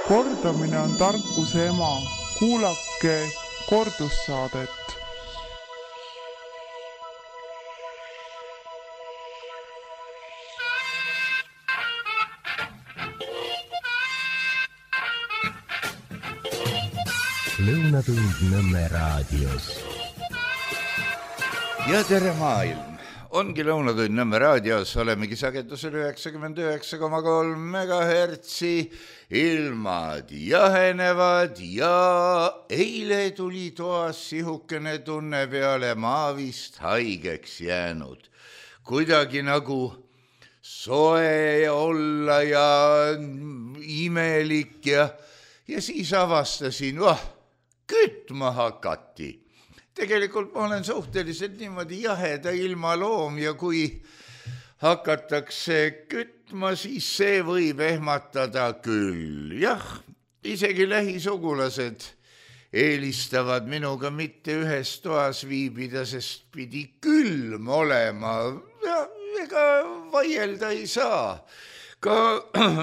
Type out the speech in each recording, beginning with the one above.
Kordamine on tarkuse ema. Kuulake kordussaadet. Lõunatund Nõmme raadios. Ja tere maailm! Ongi Lõunatund Nõmme raadios, olemegi sagedusel 99,3 megahertsi, ilmad jahenevad ja eile tuli toas sihukene tunne peale, ma vist haigeks jäänud. Kuidagi nagu soe olla ja imelik ja siis avastasin, kütma hakati. Tegelikult ma olen suhteliselt niimoodi jaheda ilma loom ja kui hakatakse kütma, siis see võib ehmatada küll. Jah, isegi lähisugulased eelistavad minuga mitte ühes toas viibida, sest pidi külm olema. Ega vaielda ei saa. Ka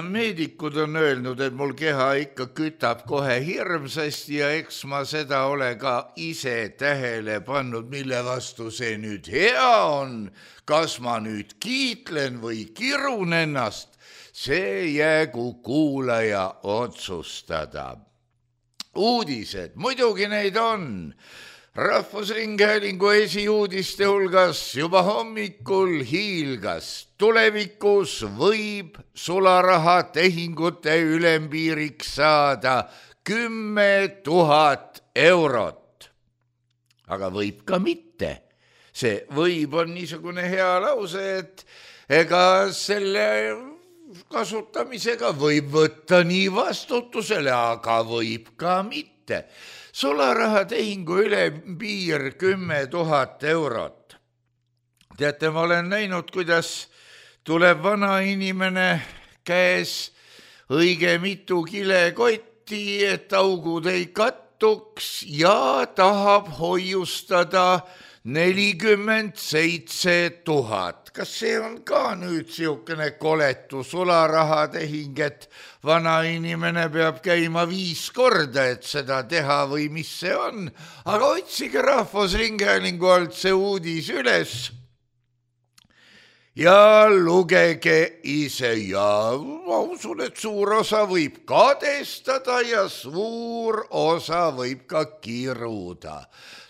meedikud on öelnud, et mul keha ikka kütab kohe hirmsasti ja eks ma seda ole ka ise tähele pannud, mille vastu see nüüd hea on. Kas ma nüüd kiitlen või kirun ennast, see jäägu kuulaja otsustada. Uudised, muidugi neid on. Rahvusringhäälingu esiuudiste hulgas juba hommikul hiilgas. Tulevikus võib sularaha tehingute ülempiiriks saada 10 000 eurot. Aga võib ka mitte. See võib on niisugune hea lause, et ega selle kasutamisega võib võtta nii vastutusele, aga võib ka mitte. Sularaha tehingu ülempiir 10 000 eurot. Teate, ma olen näinud, kuidas tuleb vana inimene käes õige mitu kilekotti, et augud ei kattuks ja tahab hoiustada 47 000. Kas see on ka nüüd siukene koletu sularahatehing, et vana inimene peab käima 5 korda, et seda teha või mis see on? Aga otsige Rahvusringhäälingu alt see uudis üles ja lugege ise ja ma usun, et suur osa võib kadestada ja suur osa võib ka kiruda.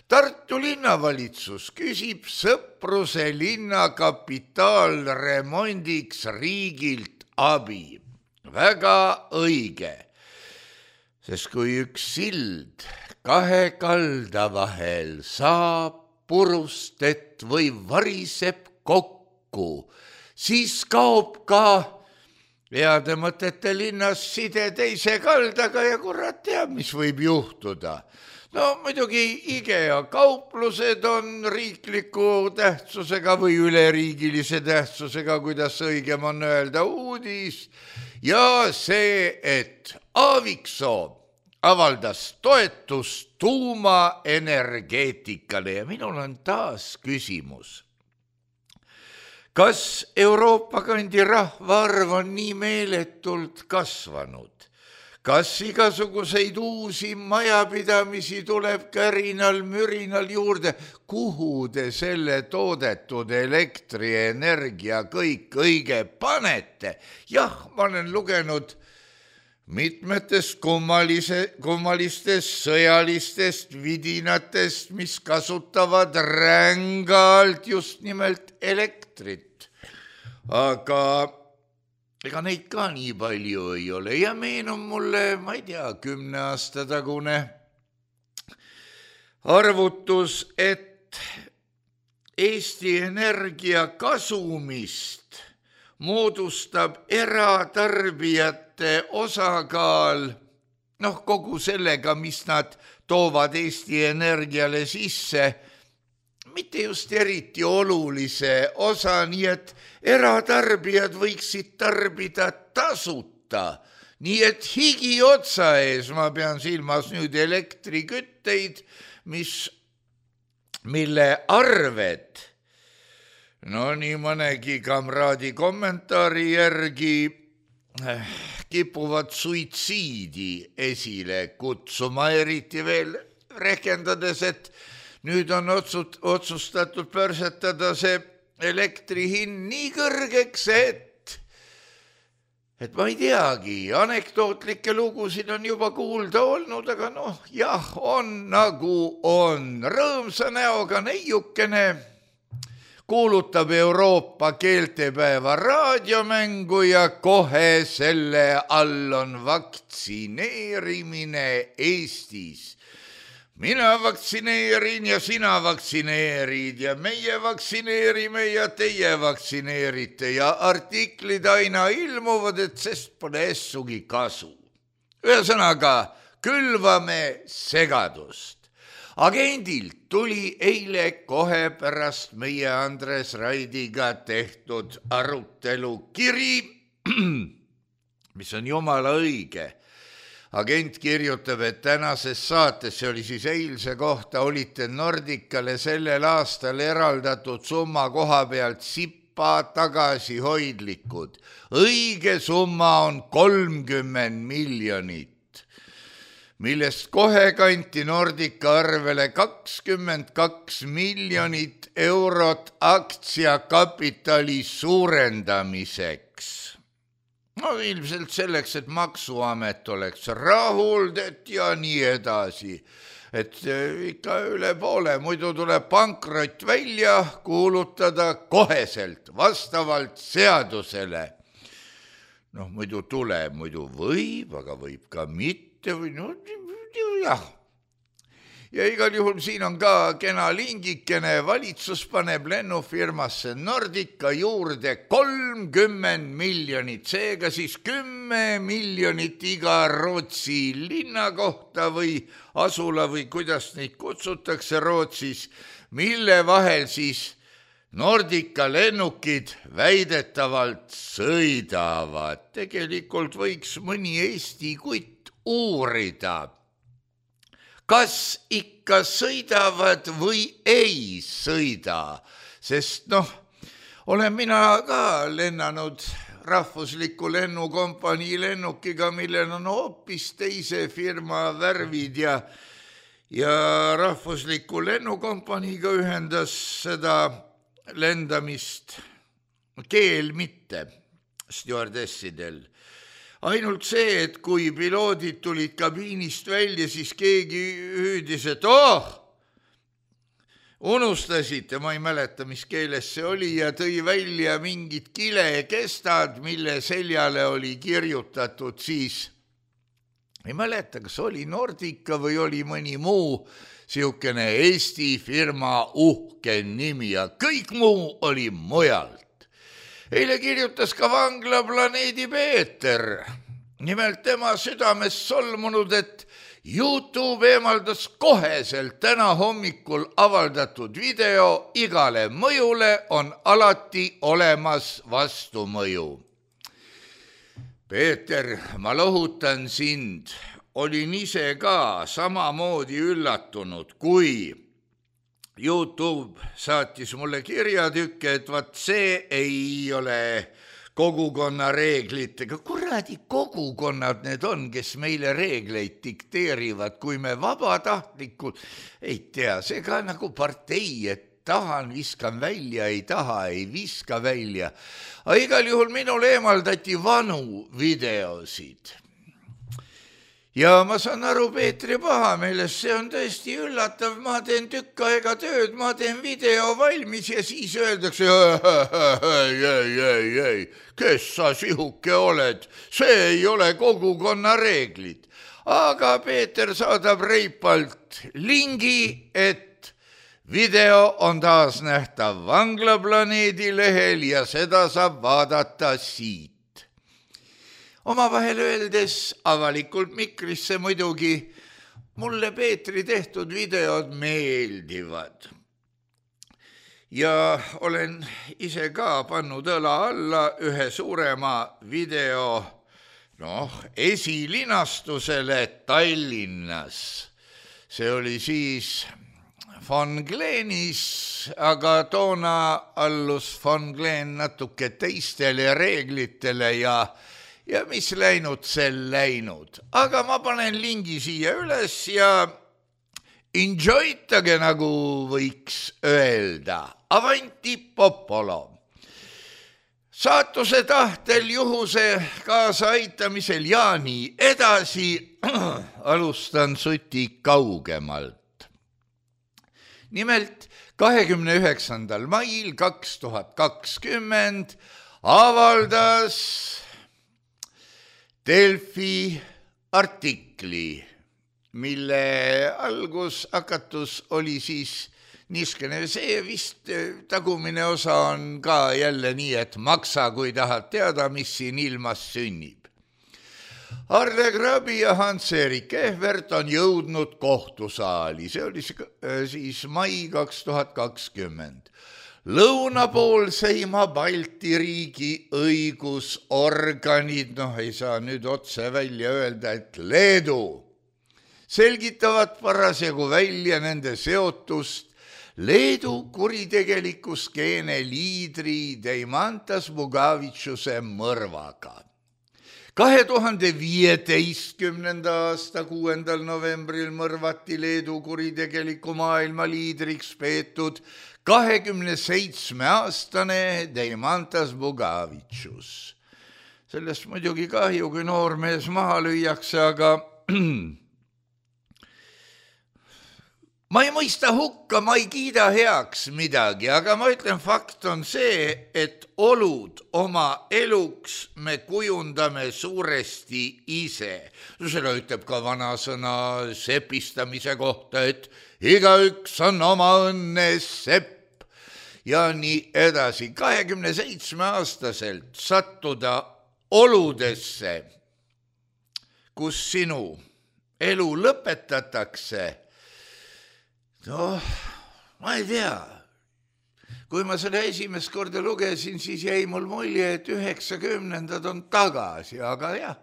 Tartu linnavalitsus küsib Sõpruse linna kapitaalremondiks riigilt abi. Väga õige, sest kui üks sild 2 kalda vahel saab purustet või variseb kokku, siis kaob ka heade mõtete linnas side teise kaldaga ja kurat teab, mis võib juhtuda. No muidugi IKEA kauplused on riikliku tähtsusega või üleriigilise tähtsusega, kuidas õigem on öelda, uudis. Ja see, et Aaviksoo avaldas toetust tuumaenergeetikale ja minul on taas küsimus. Kas Euroopa kandi rahvaarv on nii meeletult kasvanud? Kas igasuguseid uusi majapidamisi tuleb kärinal, mürinal juurde? Kuhu te selle toodetud elektrienergia kõik õige panete? Jah, ma olen lugenud mitmetest kummalistest sõjalistest vidinatest, mis kasutavad rängalt just nimelt elektrit. Aga ega neid ka nii palju ei ole ja meenub mulle, ma ei tea, 10 aasta tagune arvutus, et Eesti Energia kasumist moodustab eratarbijate osakaal, kogu sellega, mis nad toovad Eesti Energiale sisse, mitte just eriti olulise osa, nii et eratarbijad võiksid tarbida tasuta. Nii et higi otsa ees, ma pean silmas nüüd elektrikütteid, mille arved, nii mõnegi kamraadi kommentaari järgi kipuvad suitsiidi esile kutsuma, eriti veel rehkendades, et nüüd on otsustatud pörsetada see elektri hind nii kõrgeks, et ma ei teagi, anekdootlikke lugusid on juba kuulda olnud, aga jah, on nagu on. Rõõmsa näoga neiukene kuulutab Euroopa keeltepäeva raadiomängu ja kohe selle all on vaktsineerimine Eestis. Mina vaktsineerin ja sina vaktsineerid ja meie vaktsineerime ja teie vaktsineerite ja artiklid aina ilmuvad, et sest pole essugi kasu. Ühesõnaga, külvame segadust. Agendilt tuli eile kohe pärast meie Andres Raidiga tehtud arutelu kiri, mis on jumala õige. Agent kirjutab, et tänases saates, see oli siis eilse kohta, olite Nordicale sellel aastal eraldatud summa koha pealt sipa tagasihoidlikud. Õige summa on 30 miljonit, millest kohe kanti Nordica arvele 22 miljonit eurot aktsiakapitali suurendamiseks. Ilmselt selleks, et maksuamet oleks rahuldet ja nii edasi. Et ikka üle poole, muidu tuleb pankrot välja kuulutada koheselt, vastavalt seadusele. Muidu tuleb, muidu võib, aga võib ka mitte või jah. Ja igal juhul siin on ka kena lingikene, valitsus paneb lennufirmasse Nordica juurde 30 miljonit, seega siis 10 miljonit iga Rootsi linna kohta või asula või kuidas neid kutsutakse Rootsis, mille vahel siis Nordica lennukid väidetavalt sõidavad. Tegelikult võiks mõni Eesti kutt uurida, kas ikka sõidavad või ei sõida, sest olen mina ka lennanud rahvusliku lennukompanii lennukiga, millel on hoopis teise firma värvid ja rahvusliku lennukompaniiga ühendas seda lendamist keel mitte stjuardessidel. Ainult see, et kui piloodid tulid kabiinist välja, siis keegi hüüdis, et unustasite, ma ei mäleta, mis keeles see oli, ja tõi välja mingid kilekestad, mille seljale oli kirjutatud siis, ei mäleta, kas oli Nordica või oli mõni muu siukene Eesti firma uhke nimi ja kõik muu oli mujalt. Eile kirjutas ka Vanglaplaneedi Peeter. Nimelt tema südames solmunud, et YouTube eemaldas koheselt täna hommikul avaldatud video, igale mõjule on alati olemas vastumõju. Peeter, ma lohutan sind, olin ise ka samamoodi üllatunud, kui YouTube saatis mulle kirjatükke, et vaat see ei ole kogukonna reeglitega. Kuradi kogukonnad need on, kes meile reegleid dikteerivad, kui me vabatahtlikult, ei tea, see ka nagu partei, et tahan, viskan välja, ei taha, ei viska välja. Aga igal juhul minul eemaldati vanu videosid. Ja ma saan aru Peetri pahameelest, see on tõesti üllatav, ma teen tükk aega tööd, ma teen video valmis ja siis öeldakse, ei, kes sa sihuke oled, see ei ole kogukonna reeglid. Aga Peeter saadab reipalt lingi, et video on taas nähtav Vanglaplaneedi lehel ja seda saab vaadata siit. Omavahel öeldes avalikult mikrisse muidugi, mulle Peetri tehtud videod meeldivad. Ja olen ise ka pannud õla alla ühe suurema video esilinastusele Tallinnas. See oli siis Von Glenis, aga toona allus Von Glen natuke teistele reeglitele ja ja mis läinud, sel läinud. Aga ma panen lingi siia üles ja enjoytage, nagu võiks öelda. Avanti popolo. Saatuse tahtel juhuse kaasaaitamisel ja nii edasi alustan suti kaugemalt. Nimelt 29. mail 2020 avaldas Delfi artikli, mille algushakatus oli siis niiskene, see vist tagumine osa on ka jälle nii, et maksa, kui tahad teada, mis siin ilmas sünnib. Arle Grabi ja Hans-Erik Ehvert on jõudnud kohtusaali, see oli siis mai 2020. Lõunapoolseima Balti riigi õigusorganid, ei saa nüüd otse välja öelda, et Leedu, selgitavad parasjagu välja nende seotust Leedu kuritegeliku skeene liidri Deimantas Bugavitšuse mõrvaga. 2015. aasta 6. novembril mõrvati Leedu kuritegeliku maailma liidriks peetud 27-aastane Deimantas Bugavitšus. Sellest muidugi kahju, kui noormees maha lüüakse, aga ma ei mõista hukka, ma ei kiida heaks midagi, aga ma ütlen, fakt on see, et olud oma eluks me kujundame suuresti ise. Seda ütleb ka vanasõna sepistamise kohta, et igaüks on oma õnne sepp ja nii edasi. 27-aastaselt sattuda oludesse, kus sinu elu lõpetatakse, ma ei tea. Kui ma seda esimest korda lugesin, siis jäi mul mulje, et 90-ndad on tagasi, aga jah,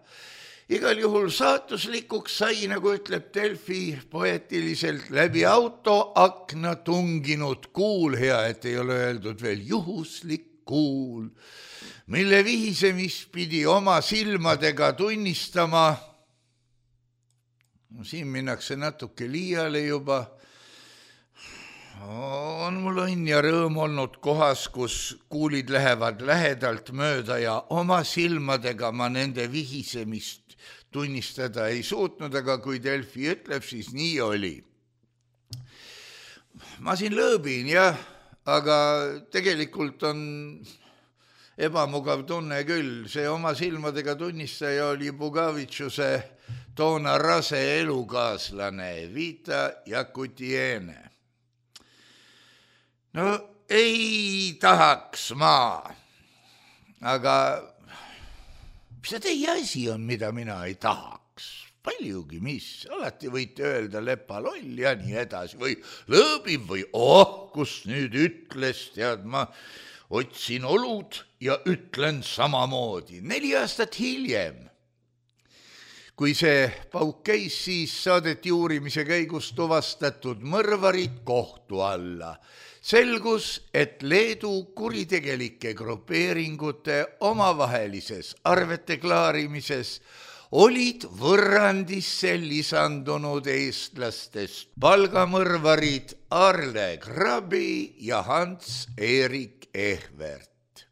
igal juhul saatuslikuks sai, nagu ütleb Delfi poeetiliselt, läbi autoakna tunginud kuul, hea, et ei ole öeldud veel juhuslik kuul, mille vihisemist pidi oma silmadega tunnistama. Siin minnakse natuke liiale juba. On mul õnn ja rõõm olnud kohas, kus kuulid lähevad lähedalt mööda ja oma silmadega ma nende vihisemist tunnistada ei suutnud, aga kui Delfi ütleb, siis nii oli. Ma siin lõõbin, jah, aga tegelikult on ebamugav tunne küll. See oma silmadega tunnistaja oli Bugavitšuse toona rase elukaaslane Vita Jakutiene. No ei tahaks ma, aga mis see teie asi on, mida mina ei tahaks? Paljugi mis, alati võite öelda lepaloll ja nii edasi või lõõbib või kus nüüd ütles, tead ma, otsin olud ja ütlen samamoodi. 4 aastat hiljem, kui see pauk käis, siis saadeti uurimise käigus tuvastatud mõrvarid kohtu alla. Selgus, et Leedu kuritegelike grupeeringute omavahelises arvete klaarimises olid võrrandisse lisandunud eestlastest palgamõrvarid Arle Grabi ja Hans-Erik Ehvert.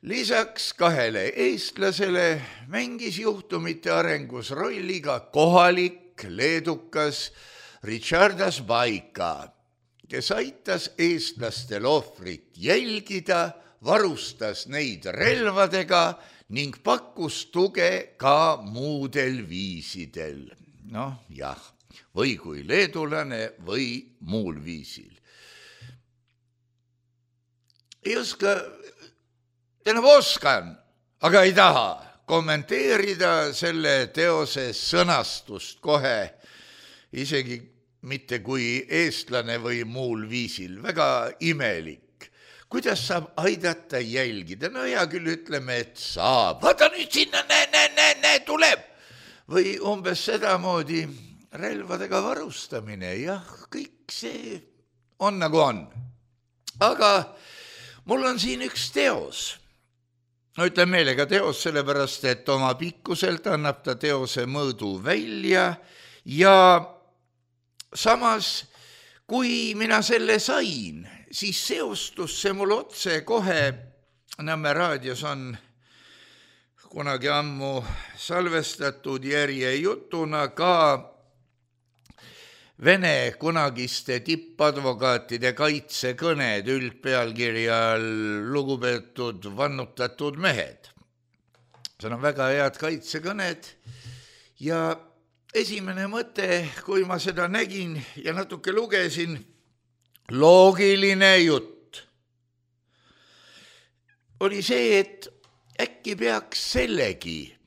Lisaks 2 eestlasele mängis juhtumite arengus rolli ka kohalik leedukas Richardas Baika, kes aitas eestlastel ohvrit jälgida, varustas neid relvadega ning pakkus tuge ka muudel viisidel. Jah, või kui leedulane või muul viisil. Ei oska, oskan, aga ei taha kommenteerida selle teose sõnastust kohe, isegi mitte kui eestlane või muul viisil, väga imelik. Kuidas saab aidata jälgida? Hea küll ütleme, et saab. Vaata nüüd sinna, näe, tuleb. Või umbes sedamoodi relvadega varustamine. Jah, kõik see on nagu on. Aga mul on siin üks teos. No ütlen meelega teos, sellepärast, et oma pikkuselt annab ta teose mõõdu välja ja samas, kui mina selle sain, siis seostus see mul otse kohe, Nõmme raadios on kunagi ammu salvestatud järjejutuna ka Vene kunagiste tippadvokaatide kaitsekõned üldpealkirjal lugupeetud vannutatud mehed. See on väga head kaitsekõned ja esimene mõte, kui ma seda nägin ja natuke lugesin, loogiline jutt, oli see, et äkki peaks sellegi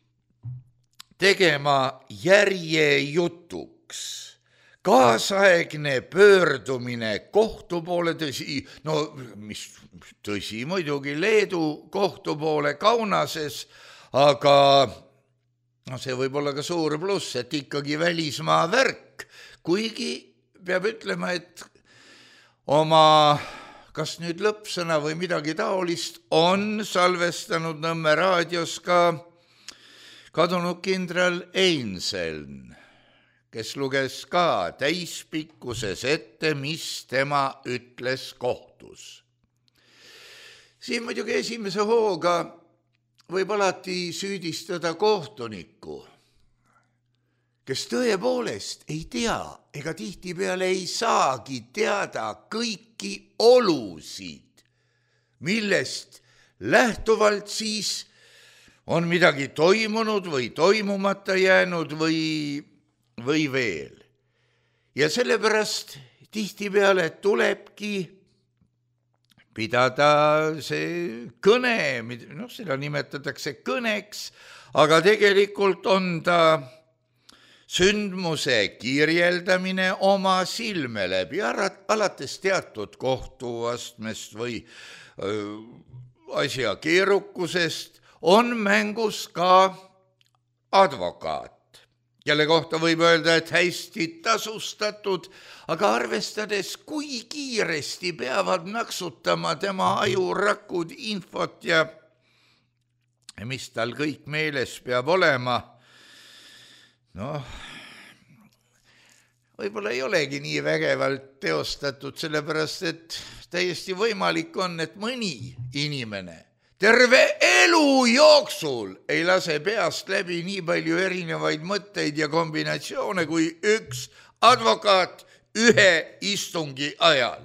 tegema järjejutuks. Kaasaegne pöördumine kohtu poole, tõsi, no mis tõsi muidugi Leedu kohtu poole Kaunases, aga no see võib olla ka suur pluss, et ikkagi välismaa värk, kuigi peab ütlema, et oma kas nüüd lõppsõna või midagi taolist on salvestanud Nõmme raadios ka kadunud kindral Einseln, kes luges ka täispikkuses ette, mis tema ütles kohtus. Siin muidugi esimese hooga võib alati süüdistada kohtunikku, kes tõepoolest ei tea ega tihtipeale ei saagi teada kõiki olusid, millest lähtuvalt siis on midagi toimunud või toimumata jäänud või veel. Ja sellepärast tihtipeale tulebki pidada see kõne, noh, seda nimetatakse kõneks, aga tegelikult on ta sündmuse kirjeldamine oma silme läbi, alates teatud kohtuastmest või asja keerukusest, on mängus ka advokaat, kelle kohta võib öelda, et hästi tasustatud, aga arvestades, kui kiiresti peavad naksutama tema ajurakud infot ja mis tal kõik meeles peab olema, noh, võib-olla ei olegi nii vägevalt teostatud, sellepärast et täiesti võimalik on, et mõni inimene terve elu jooksul ei lase peast läbi nii palju erinevaid mõtteid ja kombinatsioone kui üks advokaat ühe istungi ajal,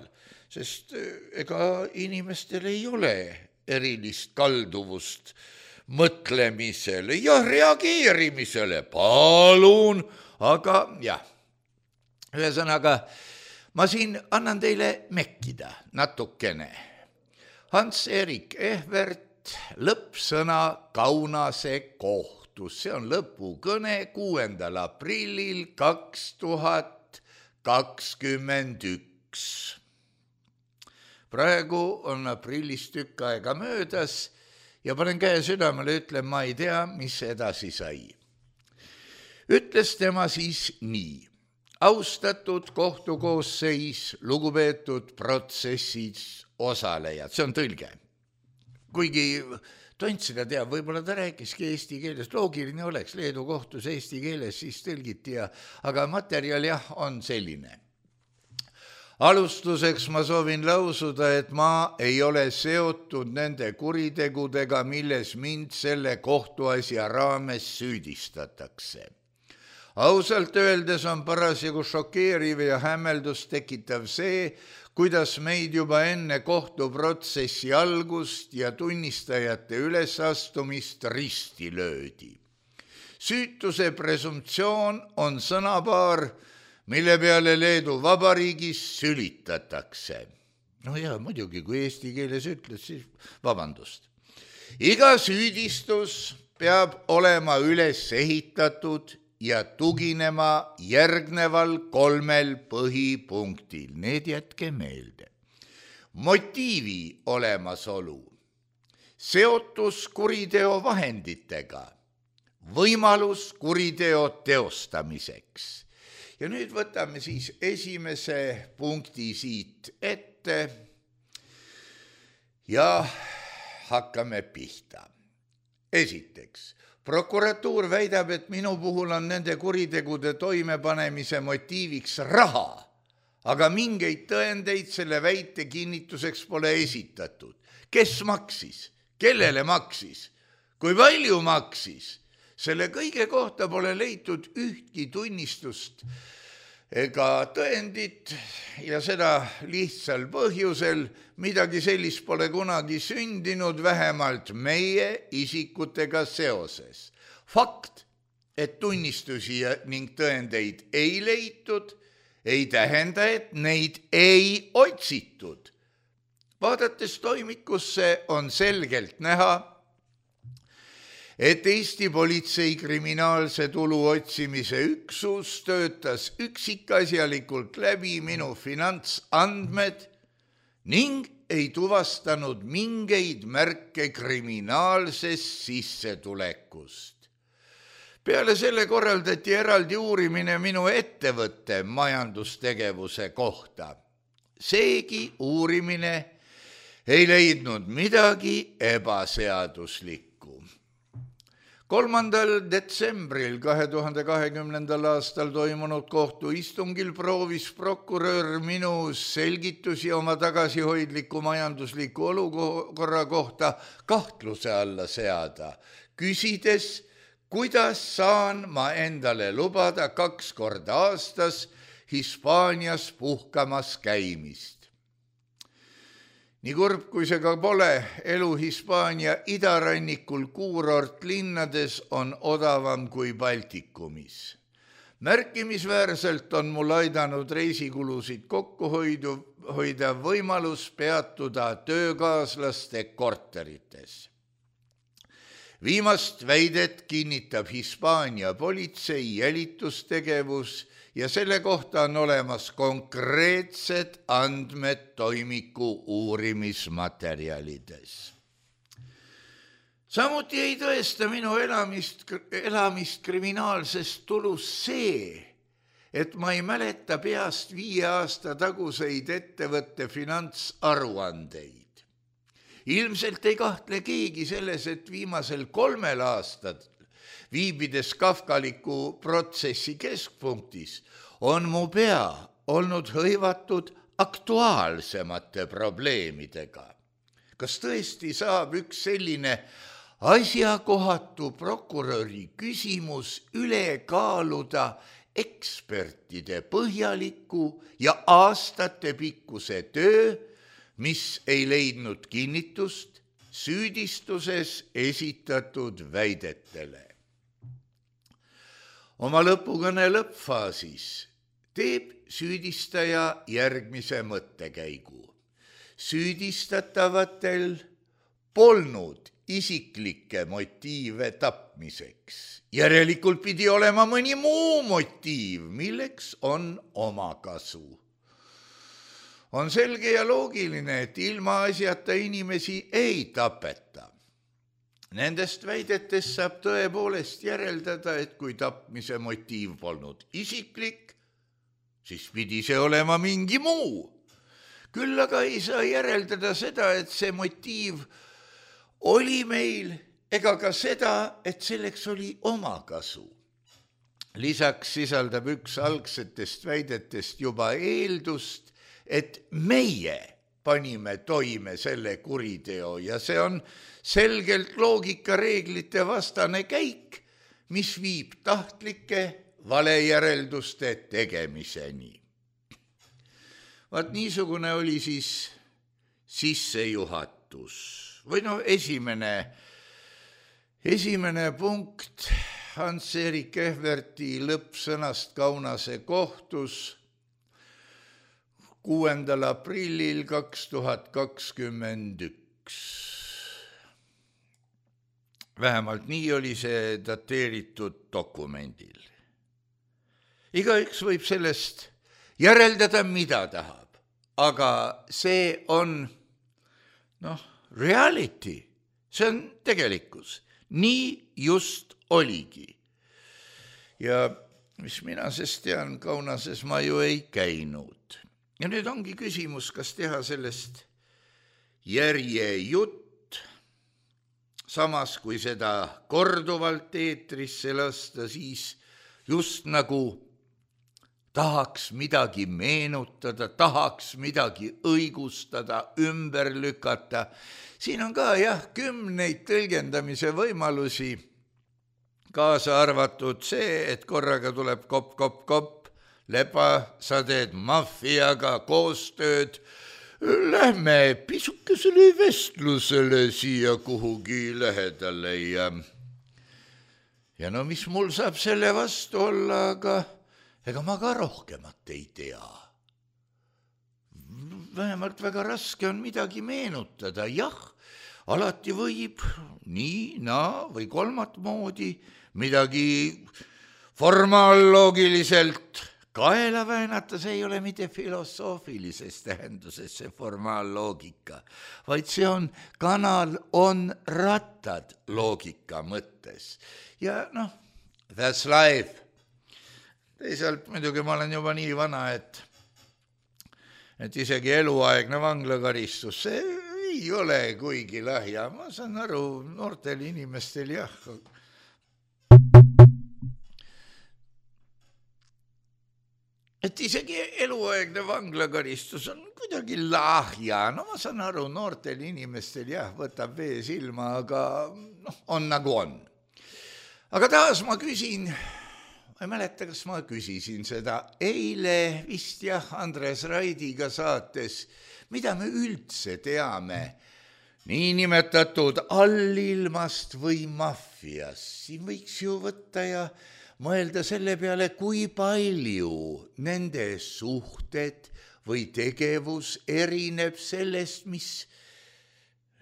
sest ega inimestel ei ole erilist kalduvust mõtlemisele ja reageerimisele, palun, aga jah. Ühesõnaga, ma siin annan teile mekkida natukene. Hans-Erik Ehvert, lõppsõna Kaunase kohtus, see on lõpukõne 6. aprillil 2021. Praegu on aprillist tükk aega möödas ja panen käe südamele, ütlen, ma ei tea, mis edasi sai. Ütles tema siis nii. Austatud kohtukoosseis, lugupeetud protsessis osalejad, see on tõlge. Kuigi tont seda teab, võib-olla ta rääkiski eesti keeles, loogiline oleks Leedu kohtus eesti keeles, siis tõlgiti, aga materjal jah, on selline. Alustuseks ma soovin lausuda, et ma ei ole seotud nende kuritegudega, milles mind selle kohtuasja raames süüdistatakse. Ausalt öeldes on parasjagu šokeeriv ja hämmeldust tekitav see, kuidas meid juba enne kohtuprotsessi algust ja tunnistajate ülesastumist risti löödi. Süütuse presumptsioon on sõnapaar, mille peale Leedu Vabariigis sülitatakse. No ja muidugi, kui eesti keeles ütled, siis vabandust. Iga süüdistus peab olema üles ehitatud ja tuginema järgneval 3 põhipunktil. Need jätke meelde. Motiivi olemasolu, seotus kuriteo vahenditega, võimalus kuriteo teostamiseks. Ja nüüd võtame siis esimese punkti siit ette ja hakkame pihta. Esiteks, prokuratuur väidab, et minu puhul on nende kuritegude toimepanemise motiiviks raha, aga mingeid tõendeid selle väite kinnituseks pole esitatud. Kes maksis? Kellele maksis? Kui palju maksis? Selle kõige kohta pole leitud ühtki tunnistust ega tõendit ja seda lihtsal põhjusel, midagi sellist pole kunagi sündinud, vähemalt meie isikutega seoses. Fakt, et tunnistusi ning tõendeid ei leitud, ei tähenda, et neid ei otsitud. Vaadates toimikusse on selgelt näha, et Eesti politsei kriminaalse tulu otsimise üksus töötas üksikasjalikult läbi minu finantsandmed ning ei tuvastanud mingeid märke kriminaalsest sissetulekust. Peale selle korraldati eraldi uurimine minu ettevõtte majandustegevuse kohta. Seegi uurimine ei leidnud midagi ebaseaduslikku. 3. detsembril 2020. aastal toimunud kohtuistungil proovis prokurör minu selgitusi oma tagasihoidliku majandusliku olukorra kohta kahtluse alla seada, küsides, kuidas saan ma endale lubada 2 korda aastas Hispaanias puhkamas käimist. Nii kurb, kui see ka pole, elu Hispaania idarannikul kuurortlinnades on odavam kui Baltikumis. Märkimisväärselt on mul aidanud reisikulusid kokku hoida võimalus peatuda töökaaslaste korterites. Viimast väidet kinnitab Hispaania politsei jälitustegevus ja selle kohta on olemas konkreetsed andmed toimiku uurimismaterjalides. Samuti ei tõesta minu elamist kriminaalsest tulust see, et ma ei mäleta peast 5 aasta taguseid ettevõtte finantsaruandeid. Ilmselt ei kahtle keegi selles, et viimasel 3 aastal viibides kafkaliku protsessi keskpunktis on mu pea olnud hõivatud aktuaalsemate probleemidega. Kas tõesti saab üks selline asjakohatu prokuröri küsimus üle kaaluda ekspertide põhjaliku ja aastatepikkuse töö, mis ei leidnud kinnitust süüdistuses esitatud väidetele? Oma lõpukõne lõppfaasis teeb süüdistaja järgmise mõttekäigu. Süüdistatavatel polnud isiklikke motiive tapmiseks. Järelikult pidi olema mõni muu motiiv, milleks on omakasu. On selge ja loogiline, et ilma asjata inimesi ei tapeta. Nendest väidetest saab tõepoolest järeldada, et kui tapmise motiiv polnud isiklik, siis pidi see olema mingi muu. Küll aga ei saa järeldada seda, et see motiiv oli meil, ega ka seda, et selleks oli omakasu. Lisaks sisaldab üks algsetest väidetest juba eeldust, et meie panime toime selle kuriteo ja see on selgelt loogikareeglite vastane käik, mis viib tahtlike valejärelduste tegemiseni. Vaat niisugune oli siis sissejuhatus või esimene punkt Hans-Erik Ehverti lõppsõnast Kaunase kohtus 6. aprillil 2021. Vähemalt nii oli see dateeritud dokumendil. Igaüks võib sellest järeldada, mida tahab, aga see on, reality, see on tegelikkus. Nii just oligi. Ja mis mina sest tean, Kaunases ma ju ei käinud. Ja nüüd ongi küsimus, kas teha sellest järjejutt. samas kui seda korduvalt eetrisse lasta, siis just nagu tahaks midagi meenutada, tahaks midagi õigustada, ümber lükata. Siin on ka kümneid tõlgendamise võimalusi, kaasa arvatud see, et korraga tuleb kopp, leba, sa teed maffiaga koostööd, lähme pisukesele vestlusele siia kuhugi lähedale ja no mis mul saab selle vastu olla, aga ega ma ka rohkemat ei tea. Vähemalt väga raske on midagi meenutada, alati võib nii, või kolmat moodi midagi formaalloogiliselt kaela väänata, see ei ole mitte filosoofilises tähenduses see formaalloogika, vaid see on kanal on rattad loogika mõttes. Ja that's life. Teisalt muidugi ma olen juba nii vana, et isegi eluaegne vanglakaristus, see ei ole kuigi lahja. Ma saan aru, noortel inimestel et isegi eluaegne vanglakaristus on kuidagi lahja. No ma saan aru, noortel inimestel võtab vee silma, aga on nagu on. Aga taas ma küsin, ma ei mäleta, kas ma küsisin seda eile vist Andres Raidiga saates, mida me üldse teame niinimetatud allilmast või maffiast. Siin võiks ju võtta ja mõelda selle peale, kui palju nende suhted või tegevus erineb sellest, mis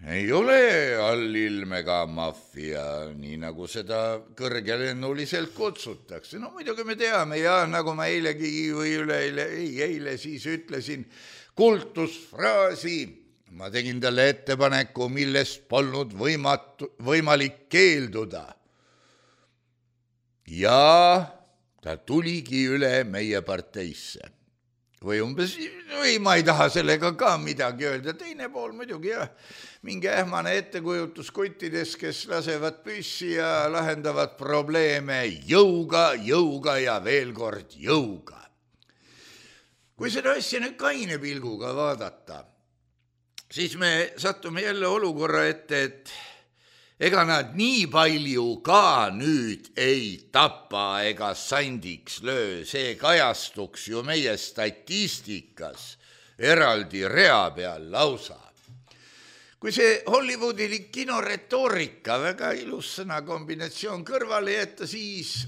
ei ole allilmega maffia, nii nagu seda kõrgelennuliselt kutsutakse. No muidugi me teame nagu ma eilegi või eile siis ütlesin kultusfraasi, ma tegin talle ettepaneku, millest polnud võimalik keelduda. Ja ta tuligi üle meie parteisse. Või ma ei taha sellega ka midagi öelda. Teine pool muidugi mingi ähmane ettekujutus kuttides, kes lasevad püssi ja lahendavad probleeme jõuga ja veel kord jõuga. Kui seda asja nüüd kaine pilguga vaadata, siis me sattume jälle olukorra ette, et ega nad nii palju ka nüüd ei tapa ega sandiks löö, see kajastuks ju meie statistikas eraldi rea peal lausa. Kui see Hollywoodilik kinoretoorika, väga ilus sõnakombinatsioon kõrvale jätta, siis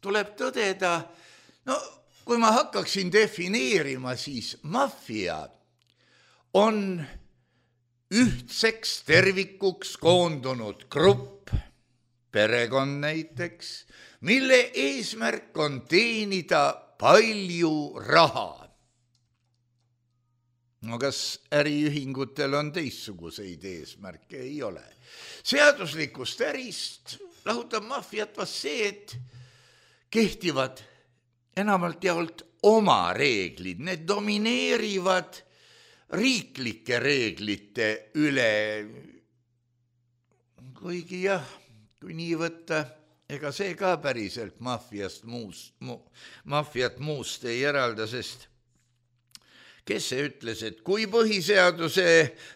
tuleb tõdeda, kui ma hakkaksin defineerima, siis maffia on ühtseks tervikuks koondunud grupp, perekond näiteks, mille eesmärk on teenida palju raha. No kas äriühingutel on teistsuguseid eesmärke? Ei ole. Seaduslikust ärist lahutab maffiat vast see, et kehtivad enamalt jaolt oma reeglid, need domineerivad riiklike reeglite üle, kuigi kui nii võtta, ega see ka päriselt maffiat muust ei eralda, sest kes see ütles, et kui põhiseaduse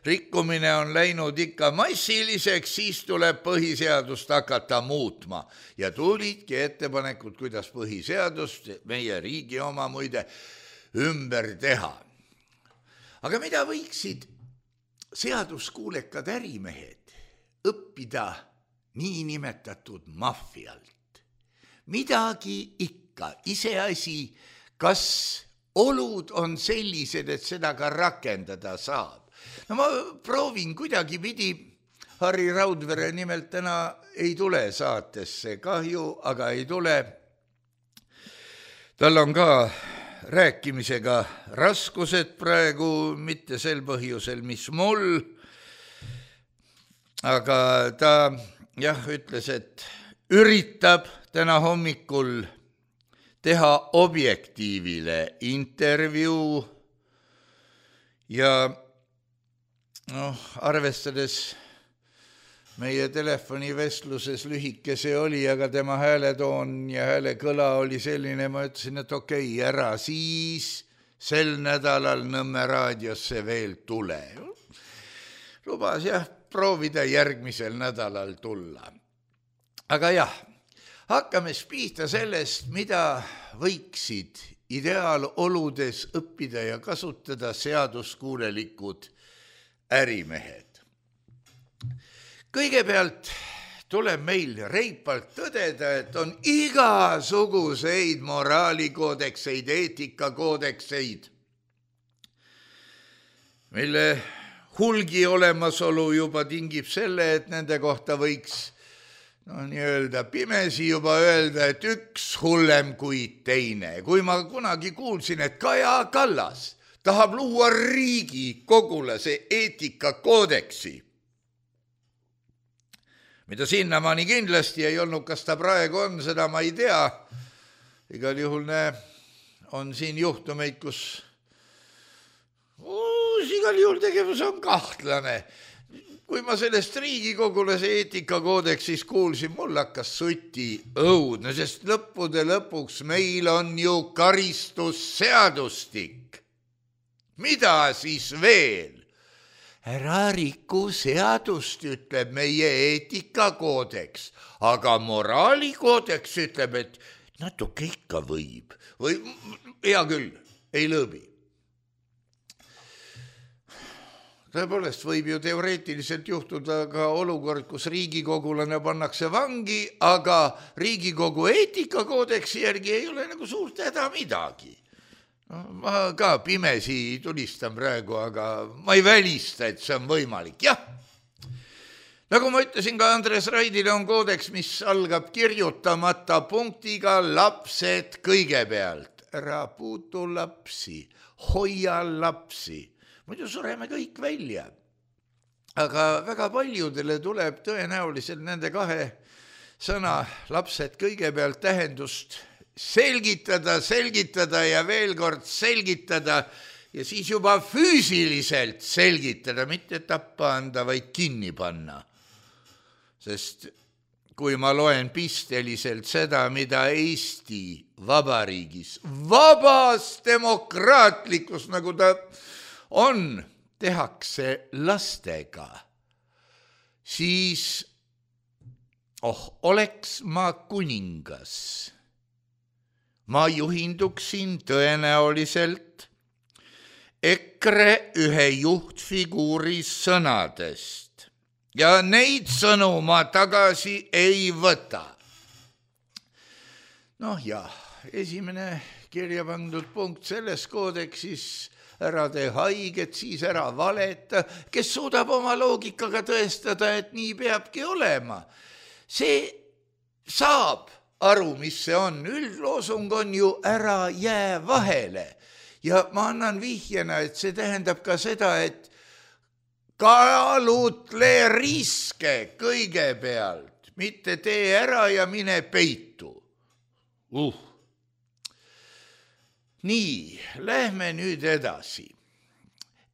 rikkumine on läinud ikka massiliseks, siis tuleb põhiseadust hakata muutma. Ja tulidki ettepanekud, kuidas põhiseadust, meie riigi oma muide, ümber teha. Aga mida võiksid seaduskuulekad ärimehed õppida niinimetatud maffialt? Midagi ikka, iseasi, kas olud on sellised, et seda ka rakendada saab. No ma proovin kuidagi pidi, Harri Raudvere nimelt täna ei tule saatesse, kahju, aga ei tule. Tal on ka rääkimisega raskused praegu, mitte sel põhjusel, mis mul, aga ta ütles, et üritab täna hommikul teha Objektiivile intervjuu ja arvestades meie telefonivestluses lühike see oli, aga tema hääletoon ja häälekõla oli selline, ma ütlesin, et okei, ära siis sel nädalal Nõmme raadiosse veel tule. Lubas proovida järgmisel nädalal tulla. Aga hakkame pihta sellest, mida võiksid ideaaloludes õppida ja kasutada seaduskuulelikud ärimehed. Kõigepealt tuleb meil reipalt tõdeda, et on igasuguseid moraalikoodekseid, eetikakoodekseid, mille hulgi olemasolu juba tingib selle, et nende kohta võiks nii-öelda pimesi juba öelda, et üks hullem kui teine. Kui ma kunagi kuulsin, et Kaja Kallas tahab luua Riigikogulase eetikakoodeksi, mida sinnamaani kindlasti ei olnud, kas ta praegu on, seda ma ei tea. Igal juhul on siin juhtumeid, kus igal juhul tegevus on kahtlane. Kui ma sellest Riigikogulase eetikakoodeksist kuulsin, mul hakkas suti õudne, sest lõppude lõpuks meil on ju karistusseadustik. Mida siis veel? Ära riku seadust, ütleb meie eetikakoodeks, aga moraalikoodeks ütleb, et natuke ikka võib. Või hea küll, ei lõõbi. Tõepoolest võib ju teoreetiliselt juhtuda ka olukord, kus riigikogulane pannakse vangi, aga Riigikogu eetikakoodeksi järgi ei ole nagu suurt häda midagi. Ma ka pimesi tulistan praegu, aga ma ei välista, et see on võimalik. Nagu ma ütlesin ka Andres Raidile, on koodeks, mis algab kirjutamata punktiga lapsed kõigepealt. Ära puutu lapsi, hoia lapsi. Muidu sureme kõik välja. Aga väga paljudele tuleb tõenäoliselt nende kahe sõna lapsed kõigepealt tähendust selgitada ja veel kord selgitada ja siis juba füüsiliselt selgitada, mitte tappa anda, vaid kinni panna. Sest kui ma loen pisteliselt seda, mida Eesti Vabariigis, vabas demokraatlikus, nagu ta on, tehakse lastega, siis oleks ma kuningas. Ma juhinduksin tõenäoliselt EKRE ühe juhtfiguuri sõnadest ja neid sõnu ma tagasi ei võta. Esimene kirja pandud punkt selles koodeksis, ära tee haiget, siis ära valeta, kes suudab oma loogikaga tõestada, et nii peabki olema. See saab aru, mis see on. Üldloosung on ju ära jää vahele. Ja ma annan vihjena, et see tähendab ka seda, et kaalutle riske kõigepealt, mitte tee ära ja mine peitu. Nii, lähme nüüd edasi.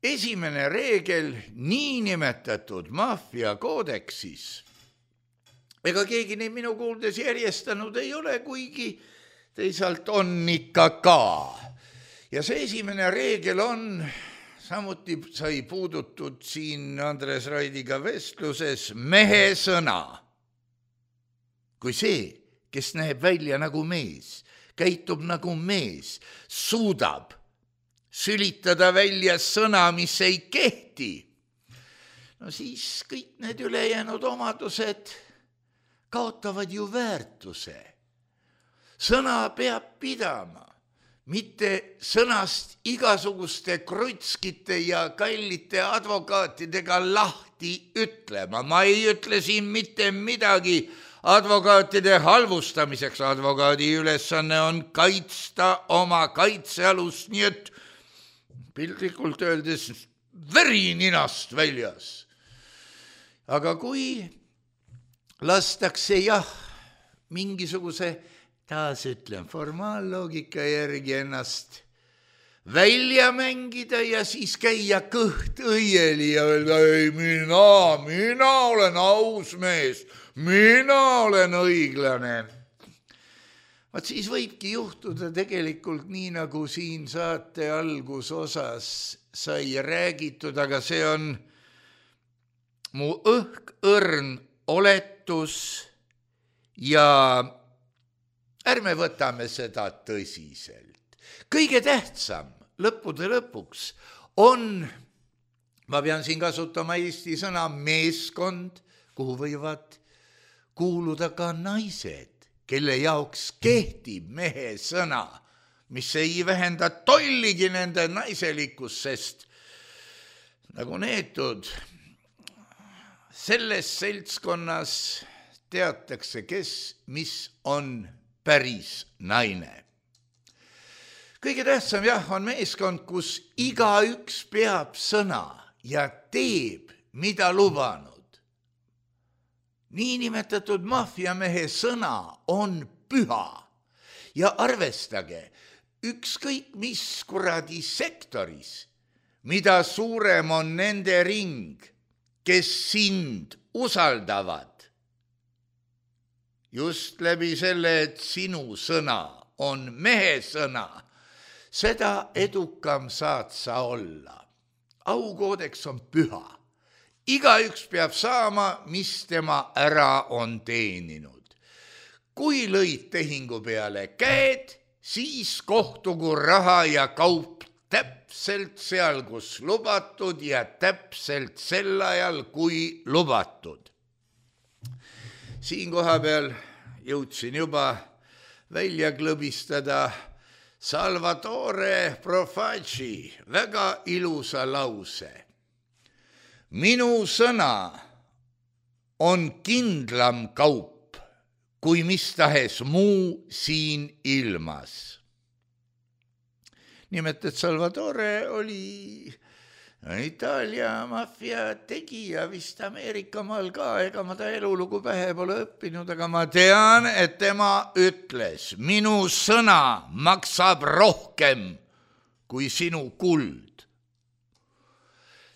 Esimene reegel niinimetatud maffiakoodeksis. Ega keegi neid minu kuuldes järjestanud ei ole, kuigi teisalt on ikka ka. Ja see esimene reegel on, samuti sai puudutud siin Andres Raidiga vestluses, mehe sõna. Kui see, kes näeb välja nagu mees, käitub nagu mees, suudab sülitada välja sõna, mis ei kehti, siis kõik need ülejäänud omadused kaotavad ju väärtuse. Sõna peab pidama, mitte sõnast igasuguste krutskite ja kallite advokaatidega lahti ütlema. Ma ei ütle siin mitte midagi advokaatide halvustamiseks. Advokaadi ülesanne on kaitsta oma kaitsealust, nii et piltlikult öeldes veri ninast väljas. Aga kui lastakse mingisuguse, taas ütlen, formaalloogika järgi ennast välja mängida ja siis käia kõht õieli ja öelda, ei, mina olen aus mees, mina olen õiglane. Vaat siis võibki juhtuda tegelikult nii, nagu siin saate algusosas sai räägitud, aga see on mu õrn oletus ja ärme võtame seda tõsiselt. Kõige tähtsam lõppude lõpuks on, ma pean siin kasutama eesti sõna meeskond, kuhu võivad kuuluda ka naised, kelle jaoks kehtib mehe sõna, mis ei vähenda tolligi nende naiselikkust, sest nagu neetud, selles seltskonnas teatakse, kes, mis on päris naine. Kõige tähtsam on meeskond, kus igaüks peab sõna ja teeb, mida lubanud. Niinimetatud maffiamehe sõna on püha ja arvestage, ükskõik mis kuradi sektoris, mida suurem on nende ring, kes sind usaldavad, just läbi selle, et sinu sõna on mehe sõna, seda edukam saad sa olla. Aukoodeks on püha. Igaüks peab saama, mis tema ära on teeninud. Kui lõid tehingu peale käed, siis kohtugu raha ja kaup täpselt seal, kus lubatud ja täpselt sel ajal, kui lubatud. Siin koha peal jõudsin juba välja klõbistada Salvatore Profaci väga ilusa lause. Minu sõna on kindlam kaup kui mis tahes muu siin ilmas. Nimelt, et Salvatore oli Itaalia maffia tegija vist Ameerikamaal ka, ega ma ta elulugu pähe pole õppinud, aga ma tean, et tema ütles, minu sõna maksab rohkem kui sinu kuld.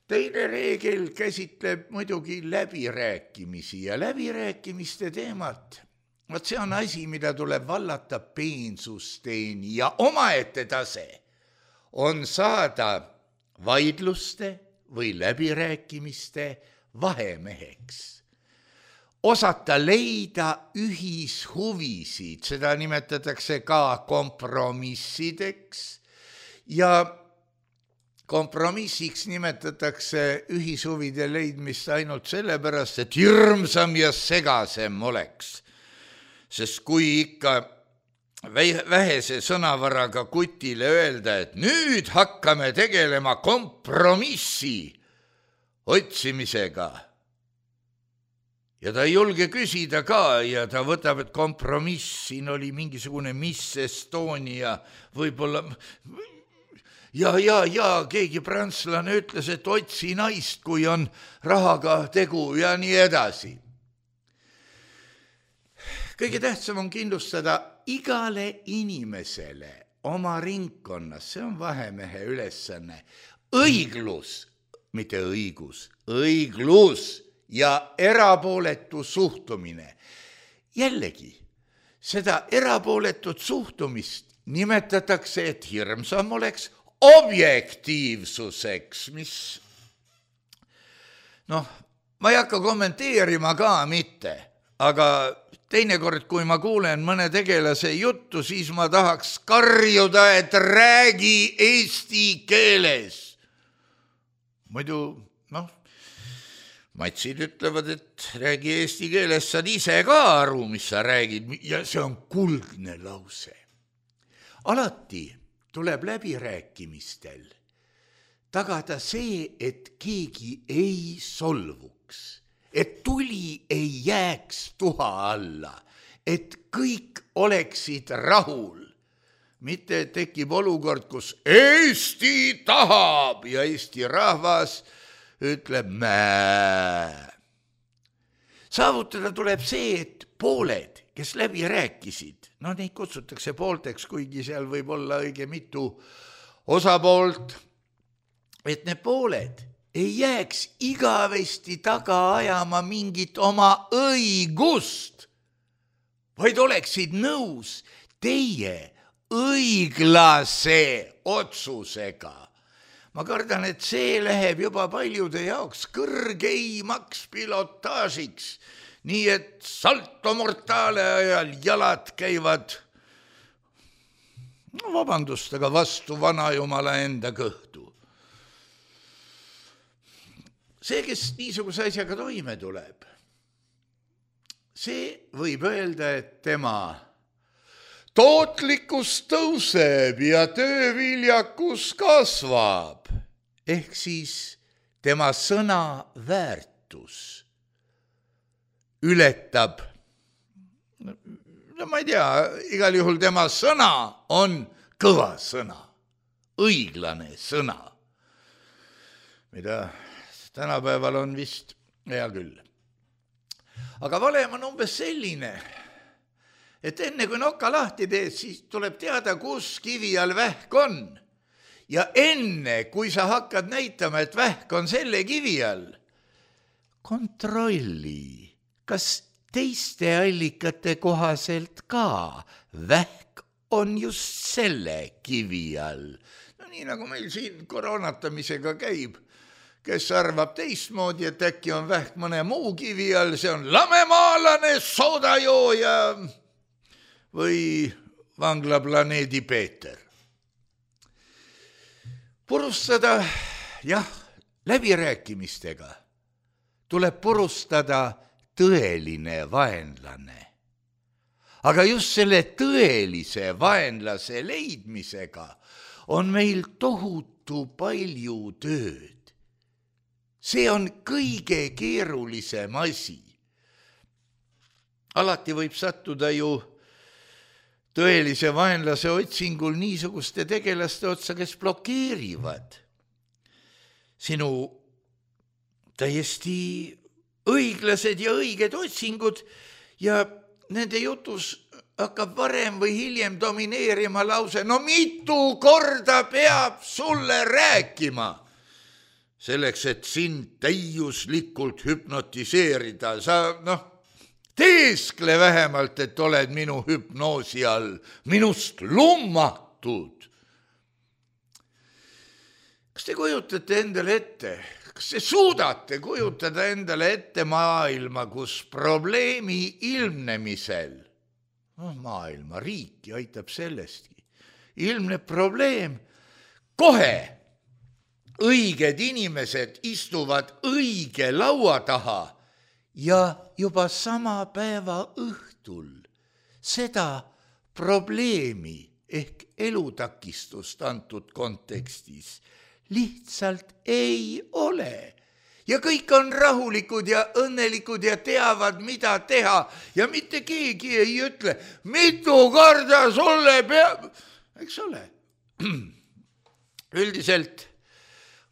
Teine reegel käsitleb muidugi läbirääkimisi ja läbirääkimiste teemat. Vaat see on asi, mida tuleb vallata peensusteeni ja omaette tase on saada vaidluste või läbirääkimiste vahemeheks. Osata leida ühishuvisid, seda nimetatakse ka kompromissideks ja kompromissiks nimetatakse ühishuvide leidmist ainult sellepärast, et hirmsam ja segasem oleks. Sest kui ikka vähese sõnavaraga kutile öelda, et nüüd hakkame tegelema kompromissi otsimisega. Ja ta ei julge küsida ka ja ta võtab, et kompromiss, siin oli mingisugune Miss Estonia, võib-olla, ja keegi prantslane ütles, et otsi naist, kui on rahaga tegu ja nii edasi. Kõige tähtsam on kindlustada igale inimesele oma ringkonnas, see on vahemehe ülesanne, õiglus, mitte õigus, õiglus ja erapooletu suhtumine. Jällegi, seda erapooletut suhtumist nimetatakse, et hirmsam oleks objektiivsuseks, mis, ma ei hakka kommenteerima ka mitte, aga teinekord, kui ma kuulen mõne tegelase juttu, siis ma tahaks karjuda, et räägi eesti keeles. Muidu, matsid ütlevad, et räägi eesti keeles, saad ise ka aru, mis sa räägid, ja see on kuldne lause. Alati tuleb läbirääkimistel tagada see, et keegi ei solvuks. Et tuli ei jääks tuha alla, et kõik oleksid rahul. Mitte tekib olukord, kus Eesti tahab ja Eesti rahvas ütleb mää. Saavutada tuleb see, et pooled, kes läbi rääkisid, neid kutsutakse poolteks, kuigi seal võib olla õige mitu osapoolt, et need pooled ei jääks igavesti taga ajama mingit oma õigust, vaid oleksid nõus teie õiglase otsusega. Ma kardan, et see läheb juba paljude jaoks kõrgeimaks pilotaažiks, nii et salto mortale ajal jalad käivad, no vabandust, aga vastu vanajumala enda kõhtu. See, kes niisuguse asjaga toime tuleb, see võib öelda, et tema tootlikkus tõuseb ja tööviljakus kasvab, ehk siis tema sõna väärtus ületab, no ma ei tea, igal juhul tema sõna on kõva sõna, õiglane sõna, mida tänapäeval on vist hea küll. Aga valem on umbes selline, et enne kui noka lahti teed, siis tuleb teada, kus kivi all vähk on. Ja enne, kui sa hakkad näitama, et vähk on selle kivi all, kontrolli, kas teiste allikate kohaselt ka vähk on just selle kivi all. No nii nagu meil siin koroonatamisega käib, kes arvab teistmoodi, et äkki on vähk mõne muu kivi all, see on lamemaalane soodajooja või vanglaplaneedi Peeter. Purustada, jah, läbirääkimistega tuleb purustada tõeline vaenlane. Aga just selle tõelise vaenlase leidmisega on meil tohutu palju tööd. See on kõige keerulisem asi. Alati võib sattuda ju tõelise vaenlase otsingul niisuguste tegelaste otsa, kes blokeerivad sinu täiesti õiglased ja õiged otsingud ja nende jutus hakkab varem või hiljem domineerima lause, no mitu korda peab sulle rääkima, selleks, et sind täiuslikult hüpnotiseerida. Sa, teeskle vähemalt, et oled minu hüpnoosi all, minust lummatud. Kas te kujutate endale ette, kas te suudate kujutada endale ette maailma, kus probleemi ilmnemisel, maailma riiki aitab sellestki, ilmneb probleem, kohe õiged inimesed istuvad õige laua taha ja juba sama päeva õhtul seda probleemi ehk elutakistust antud kontekstis lihtsalt ei ole. Ja kõik on rahulikud ja õnnelikud ja teavad, mida teha ja mitte keegi ei ütle, mitu korda sulle peab, eks ole. Üldiselt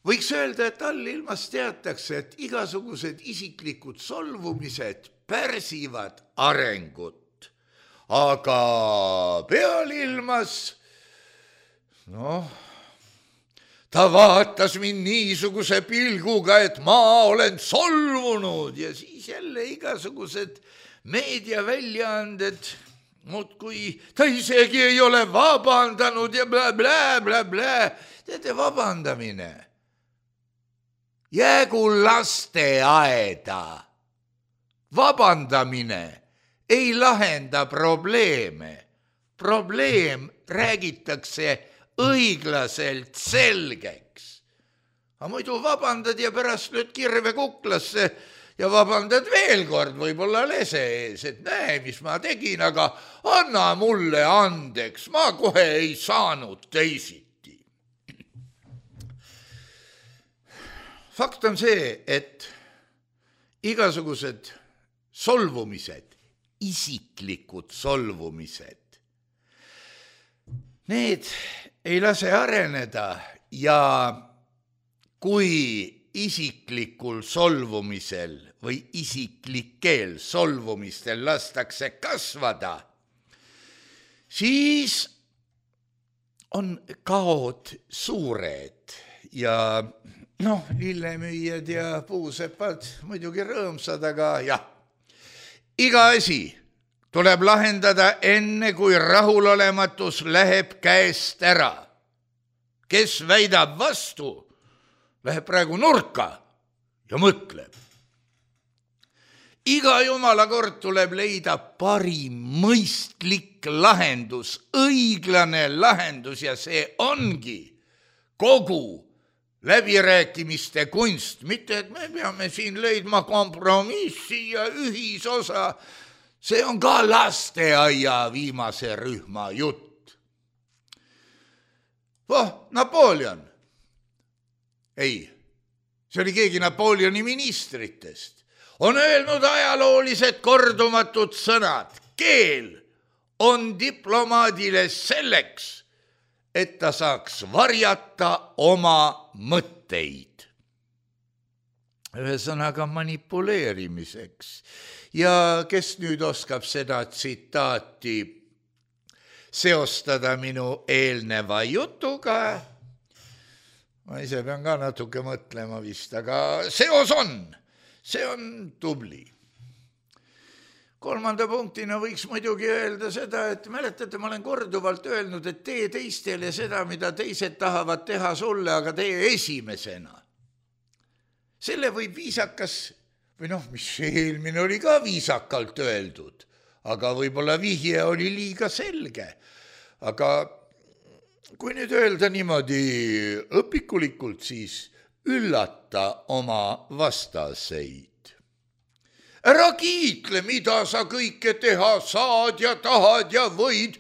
võiks öelda, et allilmas teatakse, et igasugused isiklikud solvumised pärsivad arengut. Aga pealilmas, ta vaatas mind niisuguse pilguga, et ma olen solvunud ja siis jälle igasugused meediaväljaanded, kui ta isegi ei ole vabandanud ja blä. Teate, vabandamine jäägu lasteaeda. Vabandamine ei lahenda probleeme. Probleem räägitakse õiglaselt selgeks. Aga muidu vabandad ja pärast lööd kirve kuklasse ja vabandad veel kord võib-olla lese ees, et näe, mis ma tegin, aga anna mulle andeks, ma kohe ei saanud teisiti. Fakt on see, et igasugused solvumised, isiklikud solvumised, need ei lase areneda ja kui isiklikul solvumisel või isiklikel solvumistel lastakse kasvada, siis on kaod suured ja lillemüüjad ja puusepad muidugi rõõmsad, aga jah, iga asi tuleb lahendada enne, kui rahulolematus läheb käest ära. Kes väidab vastu, läheb praegu nurka ja mõtleb. Iga jumala kord tuleb leida parim mõistlik lahendus, õiglane lahendus ja see ongi kogu läbirääkimiste kunst. Mitte, et me peame siin leidma kompromissi ja ühisosa. See on ka lasteaia viimase rühma jutt. Napoleon. Ei, see oli keegi Napoleoni ministritest. On öelnud ajaloolised kordumatud sõnad. Keel on diplomaadile selleks, et ta saaks varjata oma mõtteid. Ühesõnaga manipuleerimiseks. Ja kes nüüd oskab seda tsitaati seostada minu eelneva jutuga? Ma ise pean ka natuke mõtlema vist, aga seos on. See on tubli. Kolmanda punktina võiks muidugi öelda seda, et mäletate, ma olen korduvalt öelnud, et tee teistele seda, mida teised tahavad teha sulle, aga tee esimesena. Selle võib viisakas, või mis eelmine oli ka viisakalt öeldud, aga võib-olla vihje oli liiga selge. Aga kui nüüd öelda niimoodi õpikulikult, siis üllata oma vastaseid. Ära kiitle, mida sa kõike teha saad ja tahad ja võid.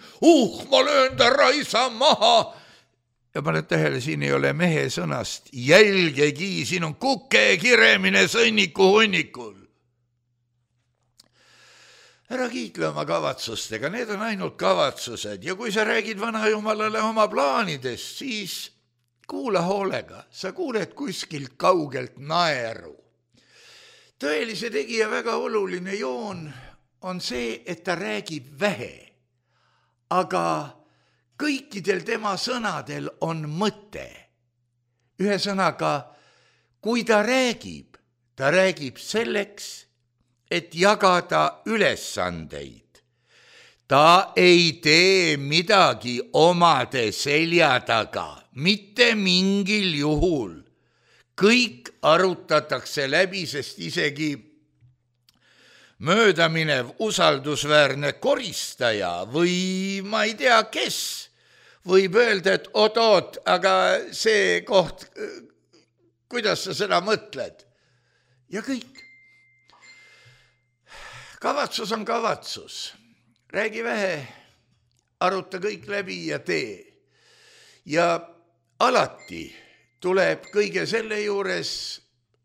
Ma löön ta raisa maha. Ja paned tähele, siin ei ole mehe sõnast jälgegi, siin on kuke kiremine sõnniku hunnikul. Ära kiitle oma kavatsustega, need on ainult kavatsused. Ja kui sa räägid vanajumalale oma plaanidest, siis kuula hoolega, sa kuuled kuskilt kaugelt naeru. Tõelise tegija väga oluline joon on see, et ta räägib vähe, aga kõikidel tema sõnadel on mõte. Ühesõnaga, kui ta räägib selleks, et jagada ülesandeid. Ta ei tee midagi omade selja taga, mitte mingil juhul. Kõik arutatakse läbi, sest isegi möödaminev usaldusväärne koristaja või ma ei tea kes võib öelda, et oot, aga see koht, kuidas sa seda mõtled? Ja kõik. Kavatsus on kavatsus. Räägi vähe, aruta kõik läbi ja tee. Ja alati tuleb kõige selle juures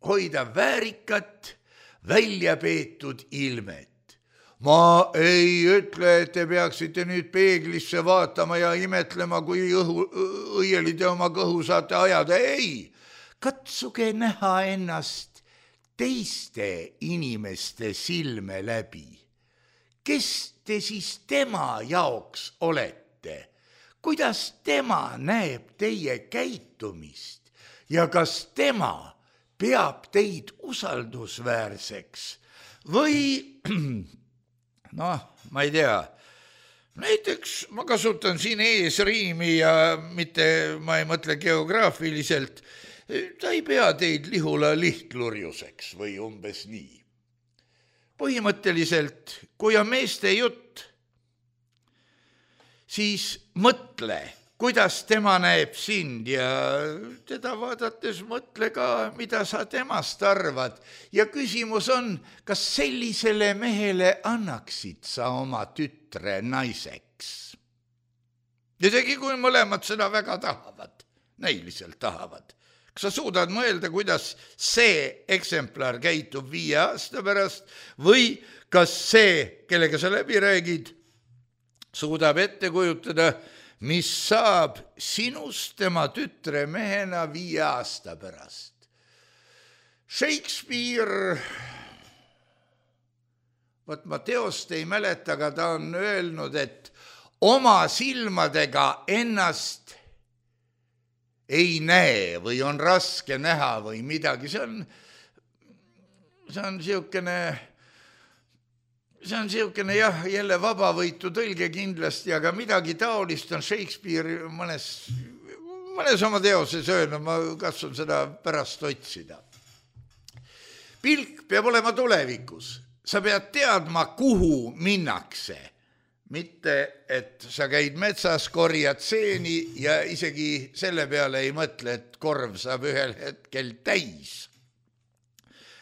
hoida väärikat, välja peetud ilmet. Ma ei ütle, et te peaksite nüüd peeglisse vaatama ja imetlema, kui õieli te oma kõhu saate ajada. Ei, katsuge näha ennast teiste inimeste silme läbi. Kes te siis tema jaoks olete? Kuidas tema näeb teie käitumist ja kas tema peab teid usaldusväärseks või, ma ei tea, näiteks ma kasutan siin eesriimi ja ma ei mõtle geograafiliselt, ta ei pea teid Lihula lihtlurjuseks või umbes nii. Põhimõtteliselt, kui on meeste jutt, siis mõtle, kuidas tema näeb sind ja teda vaadates mõtle ka, mida sa temast arvad. Ja küsimus on, kas sellisele mehele annaksid sa oma tütre naiseks? Isegi kui mõlemad seda väga tahavad, näiliselt tahavad. Kas sa suudad mõelda, kuidas see eksemplar käitub 5 aasta pärast või kas see, kellega sa läbi räägid, suudab ette kujutada, mis saab sinust tema tütre mehena 5 aasta pärast. Shakespeare, ma teost ei mäleta, aga ta on öelnud, et oma silmadega ennast ei näe või on raske näha või midagi, see on siukene jah, jälle vabavõitu tõlge kindlasti, aga midagi taolist on Shakespeare mõnes oma teoses öelnud, ma katsun seda pärast otsida. Pilk peab olema tulevikus, sa pead teadma, kuhu minnakse, mitte et sa käid metsas, korjad seeni ja isegi selle peale ei mõtle, et korv saab ühel hetkel täis.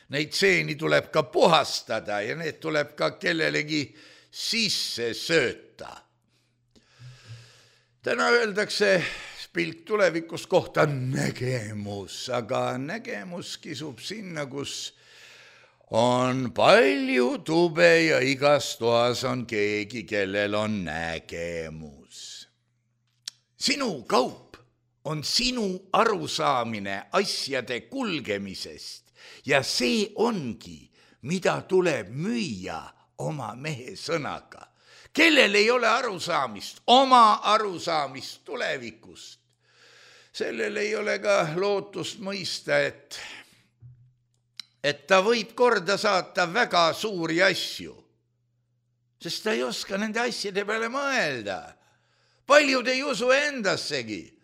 Neid seeni tuleb ka puhastada ja need tuleb ka kellelegi sisse sööta. Täna öeldakse pilk tulevikus kohta nägemus, aga nägemus kisub sinna, kus on palju tube ja igas toas on keegi, kellel on nägemus. Sinu kaup on sinu arusaamine asjade kulgemisest. Ja see ongi, mida tuleb müüa oma mehe sõnaga. Kellel ei ole arusaamist, oma arusaamist tulevikust. Sellel ei ole ka lootust mõista, et ta võib korda saata väga suuri asju, sest ta ei oska nende asjade peale mõelda. Paljud ei usu endassegi.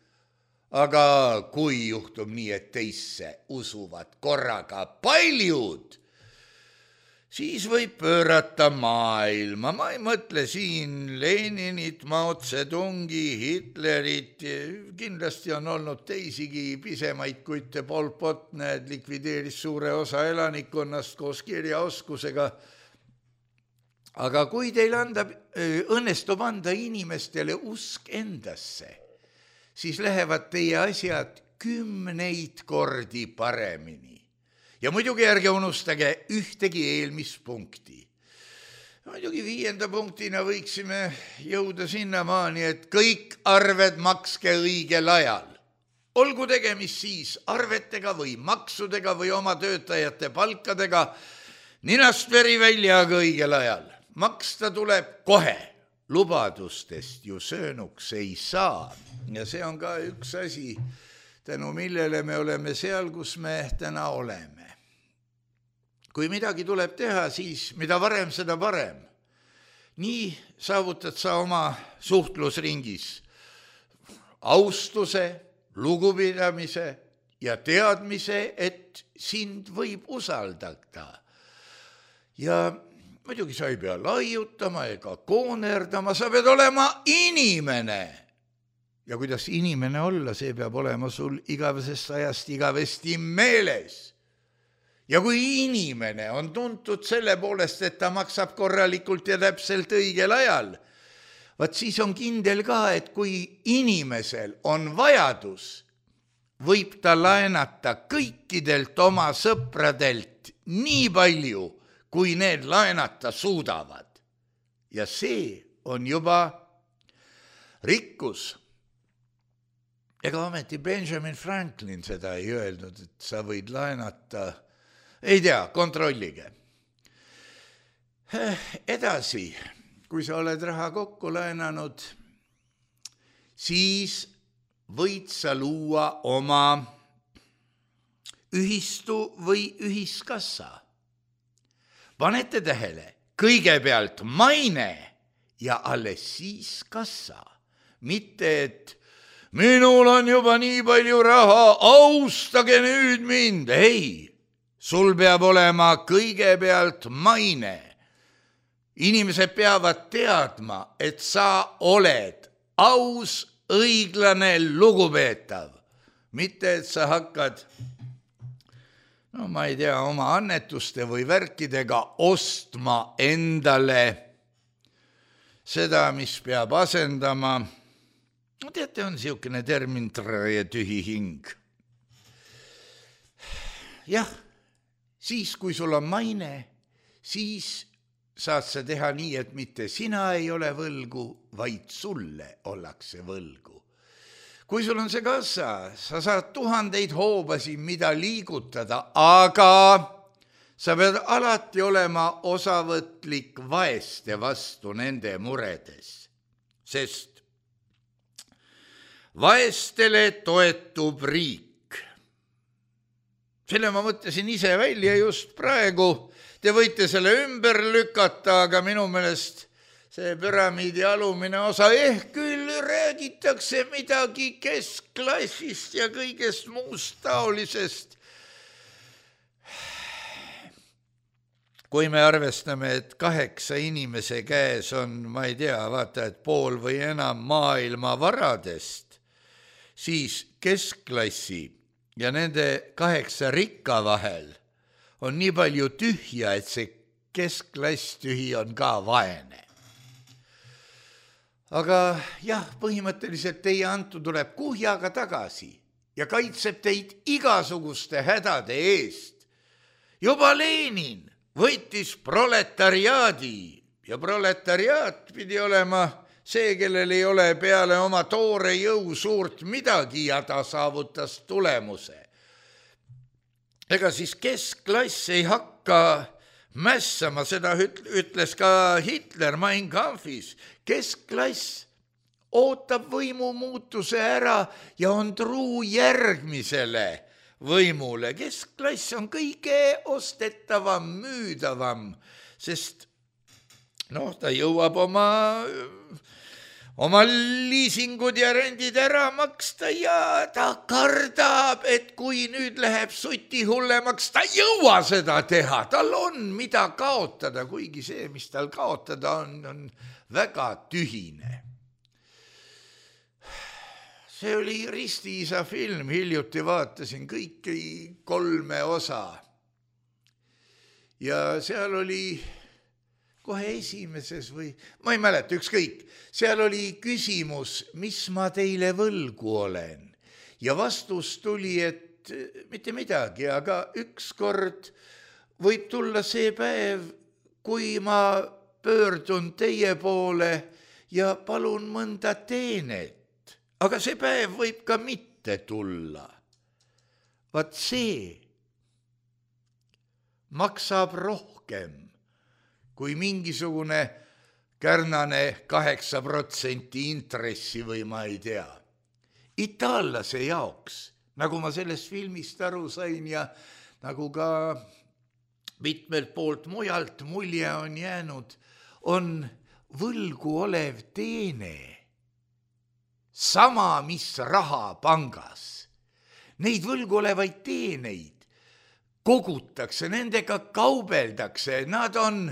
Aga kui juhtub nii, et teisse usuvad korraga paljud, siis võib pöörata maailma. Ma ei mõtle siin Leninit, Mao Zedongi, Hitlerit, kindlasti on olnud teisigi pisemaid kutte. Pol Pot, need likvideeris suure osa elanikkonnast koos kirjaoskusega. Aga kui teil õnnestub anda inimestele usk endasse, siis lähevad teie asjad 10 kordi paremini. Ja muidugi ärge unustage ühtegi eelmispunkti. Muidugi 5. punktina võiksime jõuda sinnamaani, et kõik arved makske õigel ajal. Olgu tegemist siis arvetega või maksudega või oma töötajate palkadega, ninast veri välja aga õigel ajal. Maksta tuleb kohe. Lubadustest ju söönuks ei saa. Ja see on ka üks asi, tänu millele me oleme seal, kus me täna oleme. Kui midagi tuleb teha, siis mida varem, seda parem. Nii saavutad sa oma suhtlusringis austuse, lugupidamise ja teadmise, et sind võib usaldada. Ja muidugi sa ei pea laiutama ega koonerdama, sa pead olema inimene. Ja kuidas inimene olla, see peab olema sul igavesest ajast igavesti meeles. Ja kui inimene on tuntud selle poolest, et ta maksab korralikult ja täpselt õigel ajal, vaat siis on kindel ka, et kui inimesel on vajadus, võib ta laenata kõikidelt oma sõpradelt nii palju, kui need laenata suudavad. Ja see on juba rikkus. Ega ometi Benjamin Franklin seda ei öelnud, et sa võid laenata, ei tea, kontrollige. Edasi, kui sa oled raha kokku laenanud, siis võid sa luua oma ühistu või ühiskassa. Panete tähele, kõigepealt maine ja alles siis kassa. Mitte, et minul on juba nii palju raha, austage nüüd mind. Ei, sul peab olema kõigepealt maine. Inimesed peavad teadma, et sa oled aus, õiglane, lugupeetav. Mitte, et sa hakkad ma ei tea, oma annetuste või värkidega ostma endale seda, mis peab asendama. Teate, on siukene termin ja tühi hing. Jah, siis kui sul on maine, siis saad sa teha nii, et mitte sina ei ole võlgu, vaid sulle ollakse võlgu. Kui sul on see kassa, sa saad 1000 hoobasid, mida liigutada, aga sa pead alati olema osavõtlik vaeste vastu nende muredes. Sest vaestele toetub riik. Selle ma mõtlesin ise välja just praegu. Te võite selle ümber lükata, aga minu meelest see püramiidi alumine osa küll räägitakse midagi keskklassist ja kõigest muust taolisest. Kui me arvestame, et 8 inimese käes on, ma ei tea, vaata, et pool või enam maailma varadest, siis keskklassi ja nende 8 rikka vahel on nii palju tühja, et see keskklass tühi on ka vaene. Aga jah, põhimõtteliselt teie antu tuleb kuhjaga tagasi ja kaitseb teid igasuguste hädade eest. Juba Lenin võitis proletariaadi ja proletariaat pidi olema see, kellel ei ole peale oma toore jõu suurt midagi ja ta saavutas tulemuse. Ega siis keskklass ei hakka mässama, seda ütles ka Hitler Mein Kampfis. Keskklass ootab võimu muutuse ära ja on truu järgmisele võimule. Keskklass on kõige ostetavam, müüdavam, sest ta jõuab oma liisingud ja rendid ära maksta ja ta kardab, et kui nüüd läheb suti hullemaks, ta ei jõua seda teha. Tal on mida kaotada, kuigi see, mis tal kaotada on väga tühine. See oli Ristiisa film, hiljuti vaatasin kõiki 3 osa. Ja seal oli kohe esimeses või, ma ei mäleta, ükskõik, seal oli küsimus, mis ma teile võlgu olen. Ja vastus tuli, et mitte midagi, aga ükskord võib tulla see päev, kui ma pöördun teie poole ja palun mõnda teenet. Aga see päev võib ka mitte tulla. Vaat see maksab rohkem kui mingisugune kärnane 8% intressi või ma ei tea. Itaallase jaoks, nagu ma sellest filmist aru sain ja nagu ka mitmelt poolt mujalt mulje on jäänud, on võlgu olev teene sama, mis raha pangas. Neid võlgu olevaid teeneid kogutakse, nendega kaubeldakse, nad on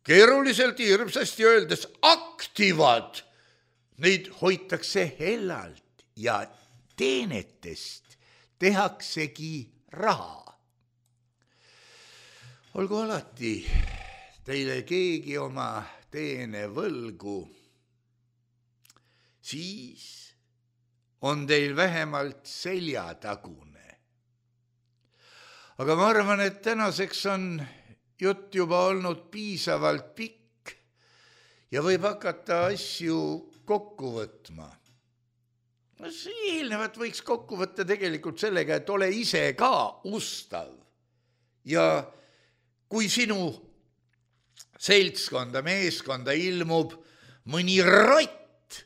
keeruliselt hirmsasti öeldes aktivad. Neid hoitakse hellalt ja teenetest tehaksegi raha. Olgu alati teile keegi oma teene võlgu, siis on teil vähemalt seljatagune. Aga ma arvan, et tänaseks on jutt juba olnud piisavalt pikk ja võib hakata asju kokku võtma. Eelnevat võiks kokku võtta tegelikult sellega, et ole ise ka ustav. Ja kui sinu seltskonda, meeskonda ilmub mõni rott,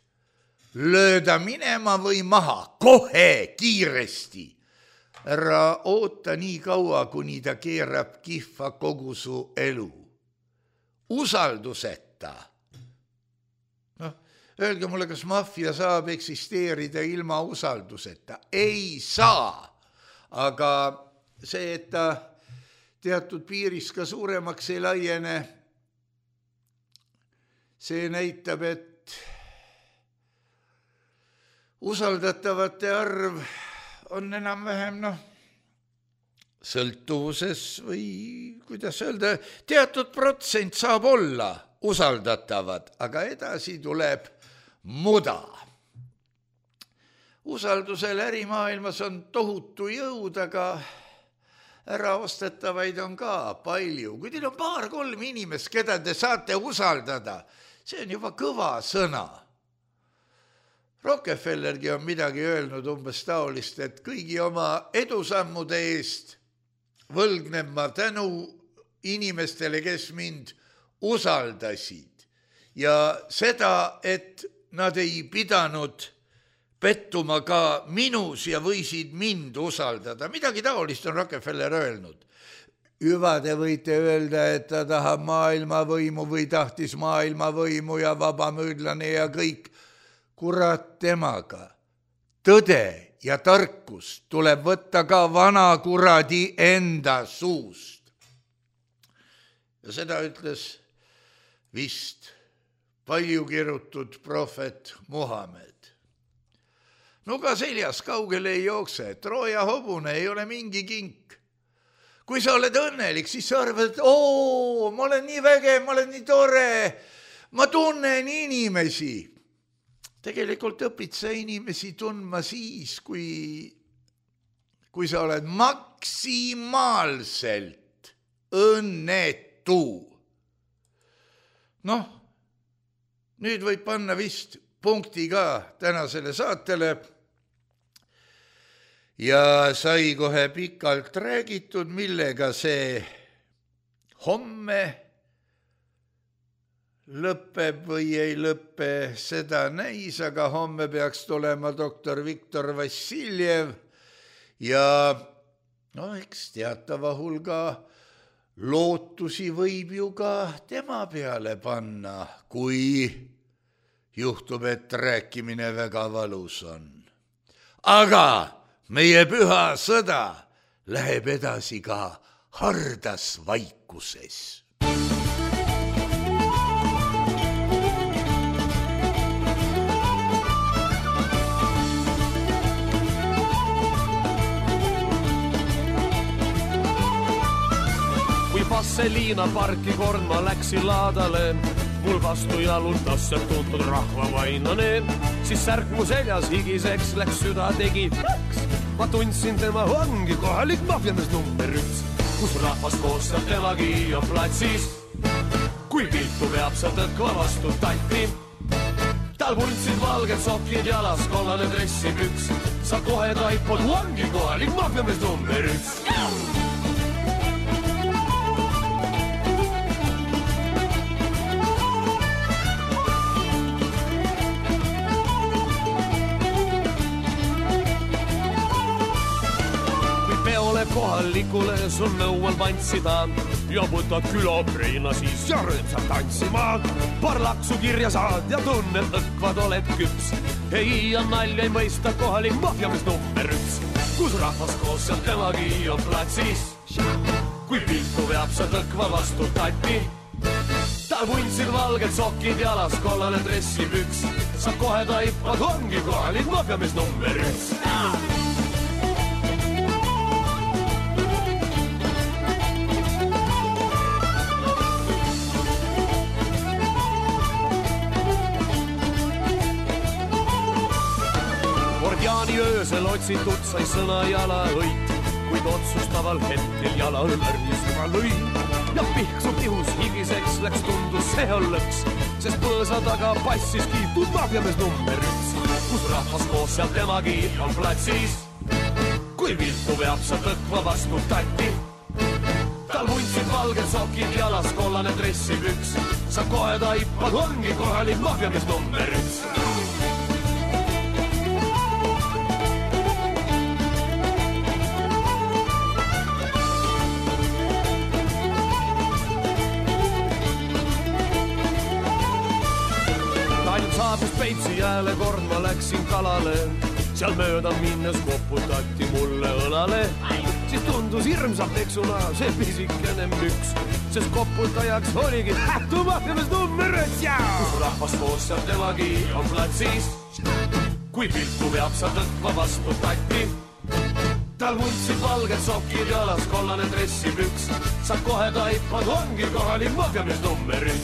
lööda minema või maha, kohe, kiiresti. Ära oota nii kaua, kuni ta keerab kihva kogu su elu. Usalduseta. Öelge mulle, kas maffia saab eksisteerida ilma usalduseta? Ei saa. Aga see, et ta teatud piiris ka suuremaks ei laiene, see näitab, et usaldatavate arv on enam-vähem sõltuvuses või kuidas öelda, teatud protsent saab olla usaldatavad, aga edasi tuleb muda. Usaldusel ärimaailmas on tohutu jõud, aga äraostetavaid on ka palju. Kui teil on 2-3 inimest, keda te saate usaldada, see on juba kõva sõna. Rockefellergi on midagi öelnud umbes taolist, et kõigi oma edusammude eest võlgnen ma tänu inimestele, kes mind usaldasid. Ja seda, et nad ei pidanud pettuma ka minus ja võisid mind usaldada. Midagi taolist on Rockefeller öelnud. Hüva, te võite öelda, et ta tahab maailmavõimu või tahtis maailmavõimu ja vabamüüdlane ja kõik. Kurat temaga. Tõde ja tarkus tuleb võtta ka vana kuradi enda suust. Ja seda ütles vist palju kirutud prohvet Muhamed. Nuga seljas kaugele ei jookse, Trooja hobune ei ole mingi kink. Kui sa oled õnnelik, siis sa arvad, et ma olen nii vägev, ma olen nii tore, ma tunnen inimesi. Tegelikult õpid sa inimesi tundma siis, kui sa oled maksimaalselt õnnetu. Nüüd võib panna vist punkti ka tänasele saatele. Ja sai kohe pikalt räägitud, millega see homme lõpeb või ei lõppe, seda näis, aga homme peaks tulema doktor Viktor Vassiljev ja eks teatava hulga lootusi võib ju ka tema peale panna, kui juhtub, et rääkimine väga valus on. Aga meie püha sõda läheb edasi ka hardas vaikuses. Kui Vasselina parki kord ma läksin laadale, mul vastu jalutas see tuntud rahvavainane, siis särk mu seljas higiseks läks, süda tegi plaks. Ma tundsin tema ongi kohalik mafjamees number 1, kus rahvas koos seal temagi on platsis. Kui piltu veab sa tõkva vastu tatti, tal vuntsid valged sokid jalas, kollane dressipüks, sa kohe taipod ongi kohalik mafjamees number 1. Kohalikule sul nõual vantsida ja võtad külapreina siis ja rõõmsalt tantsima. Paar laksu kirja saad ja tunned õkvad oled küps. Ei ja nalja ei mõista kohalik mafjamees number 1, kus rahvas koos seal temagi on platsis. Kui piltu veab sa tõkva vastu tatti, tal vuntsid valged sokid jalas, kollane dressipüks, sa kohe taipad ongi kohalik mafjamees number 1. Öösel otsitud sai sõna jalaõit, kuid otsustaval hetkel jala õrnisema lõi. Ja pihksu pihus higiseks läks, tundus see on lõks, sest põõsa taga passis kiitud mafjamees number 1, kus rahvas koos seal temagi on platsis. Kui viltu veab sa tõkva vastu tatti, tal vuntsid valged sokid jalas, kollane dressipüks, sa kohe taipad ongi kohalik mafjamees number 1. Saabus Peipsi jääle kord ma läksin kalale, seal mööda minnes koputati mulle õlale. Siis tundus hirmsalt eksuna see pisikene müks, sest koputajaks oligi hättu mafjamees number 1, kus rahvas koos seal temagi on platsis. Kui piltu veab sa tõkva vastu tatti, tal vuntsid valged sokid jalas, kollane dressipüks, sa kohe taipad ongi kohalik mafjamees number 1.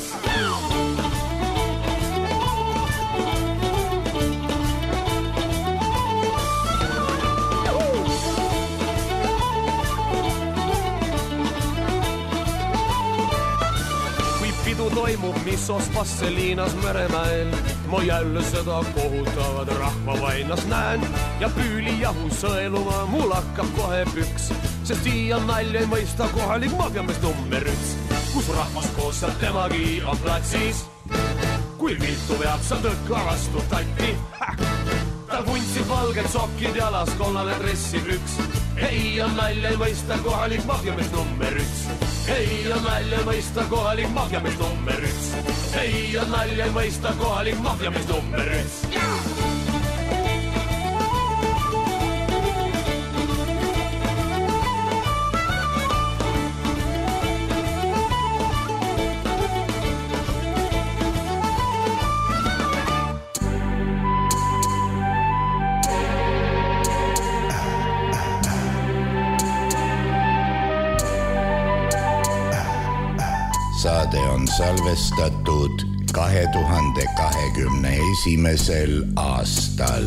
Toimub missos Vasseliinas Meremäel, ma jälle seda kohutavad rahvavainas näen ja püüli jahu sõeluma mul hakkab kohe püks, sest siia nalja ei mõista kohalik mafjamees number 1, kus rahvas koos seal temagi on platsis. Kui kui viltu veab sa tõkka vastu tatti. Tal vuntsid valged sokid jalas, kollane dressiprüks. Ei on nalja ei mõista kohalik mafjamees number 1. Ei on nalja ei mõista kohalik mafjamees number 1. Ei on nalja ei mõista kohalik mafjamees number 1. Saade on salvestatud 2021. aastal.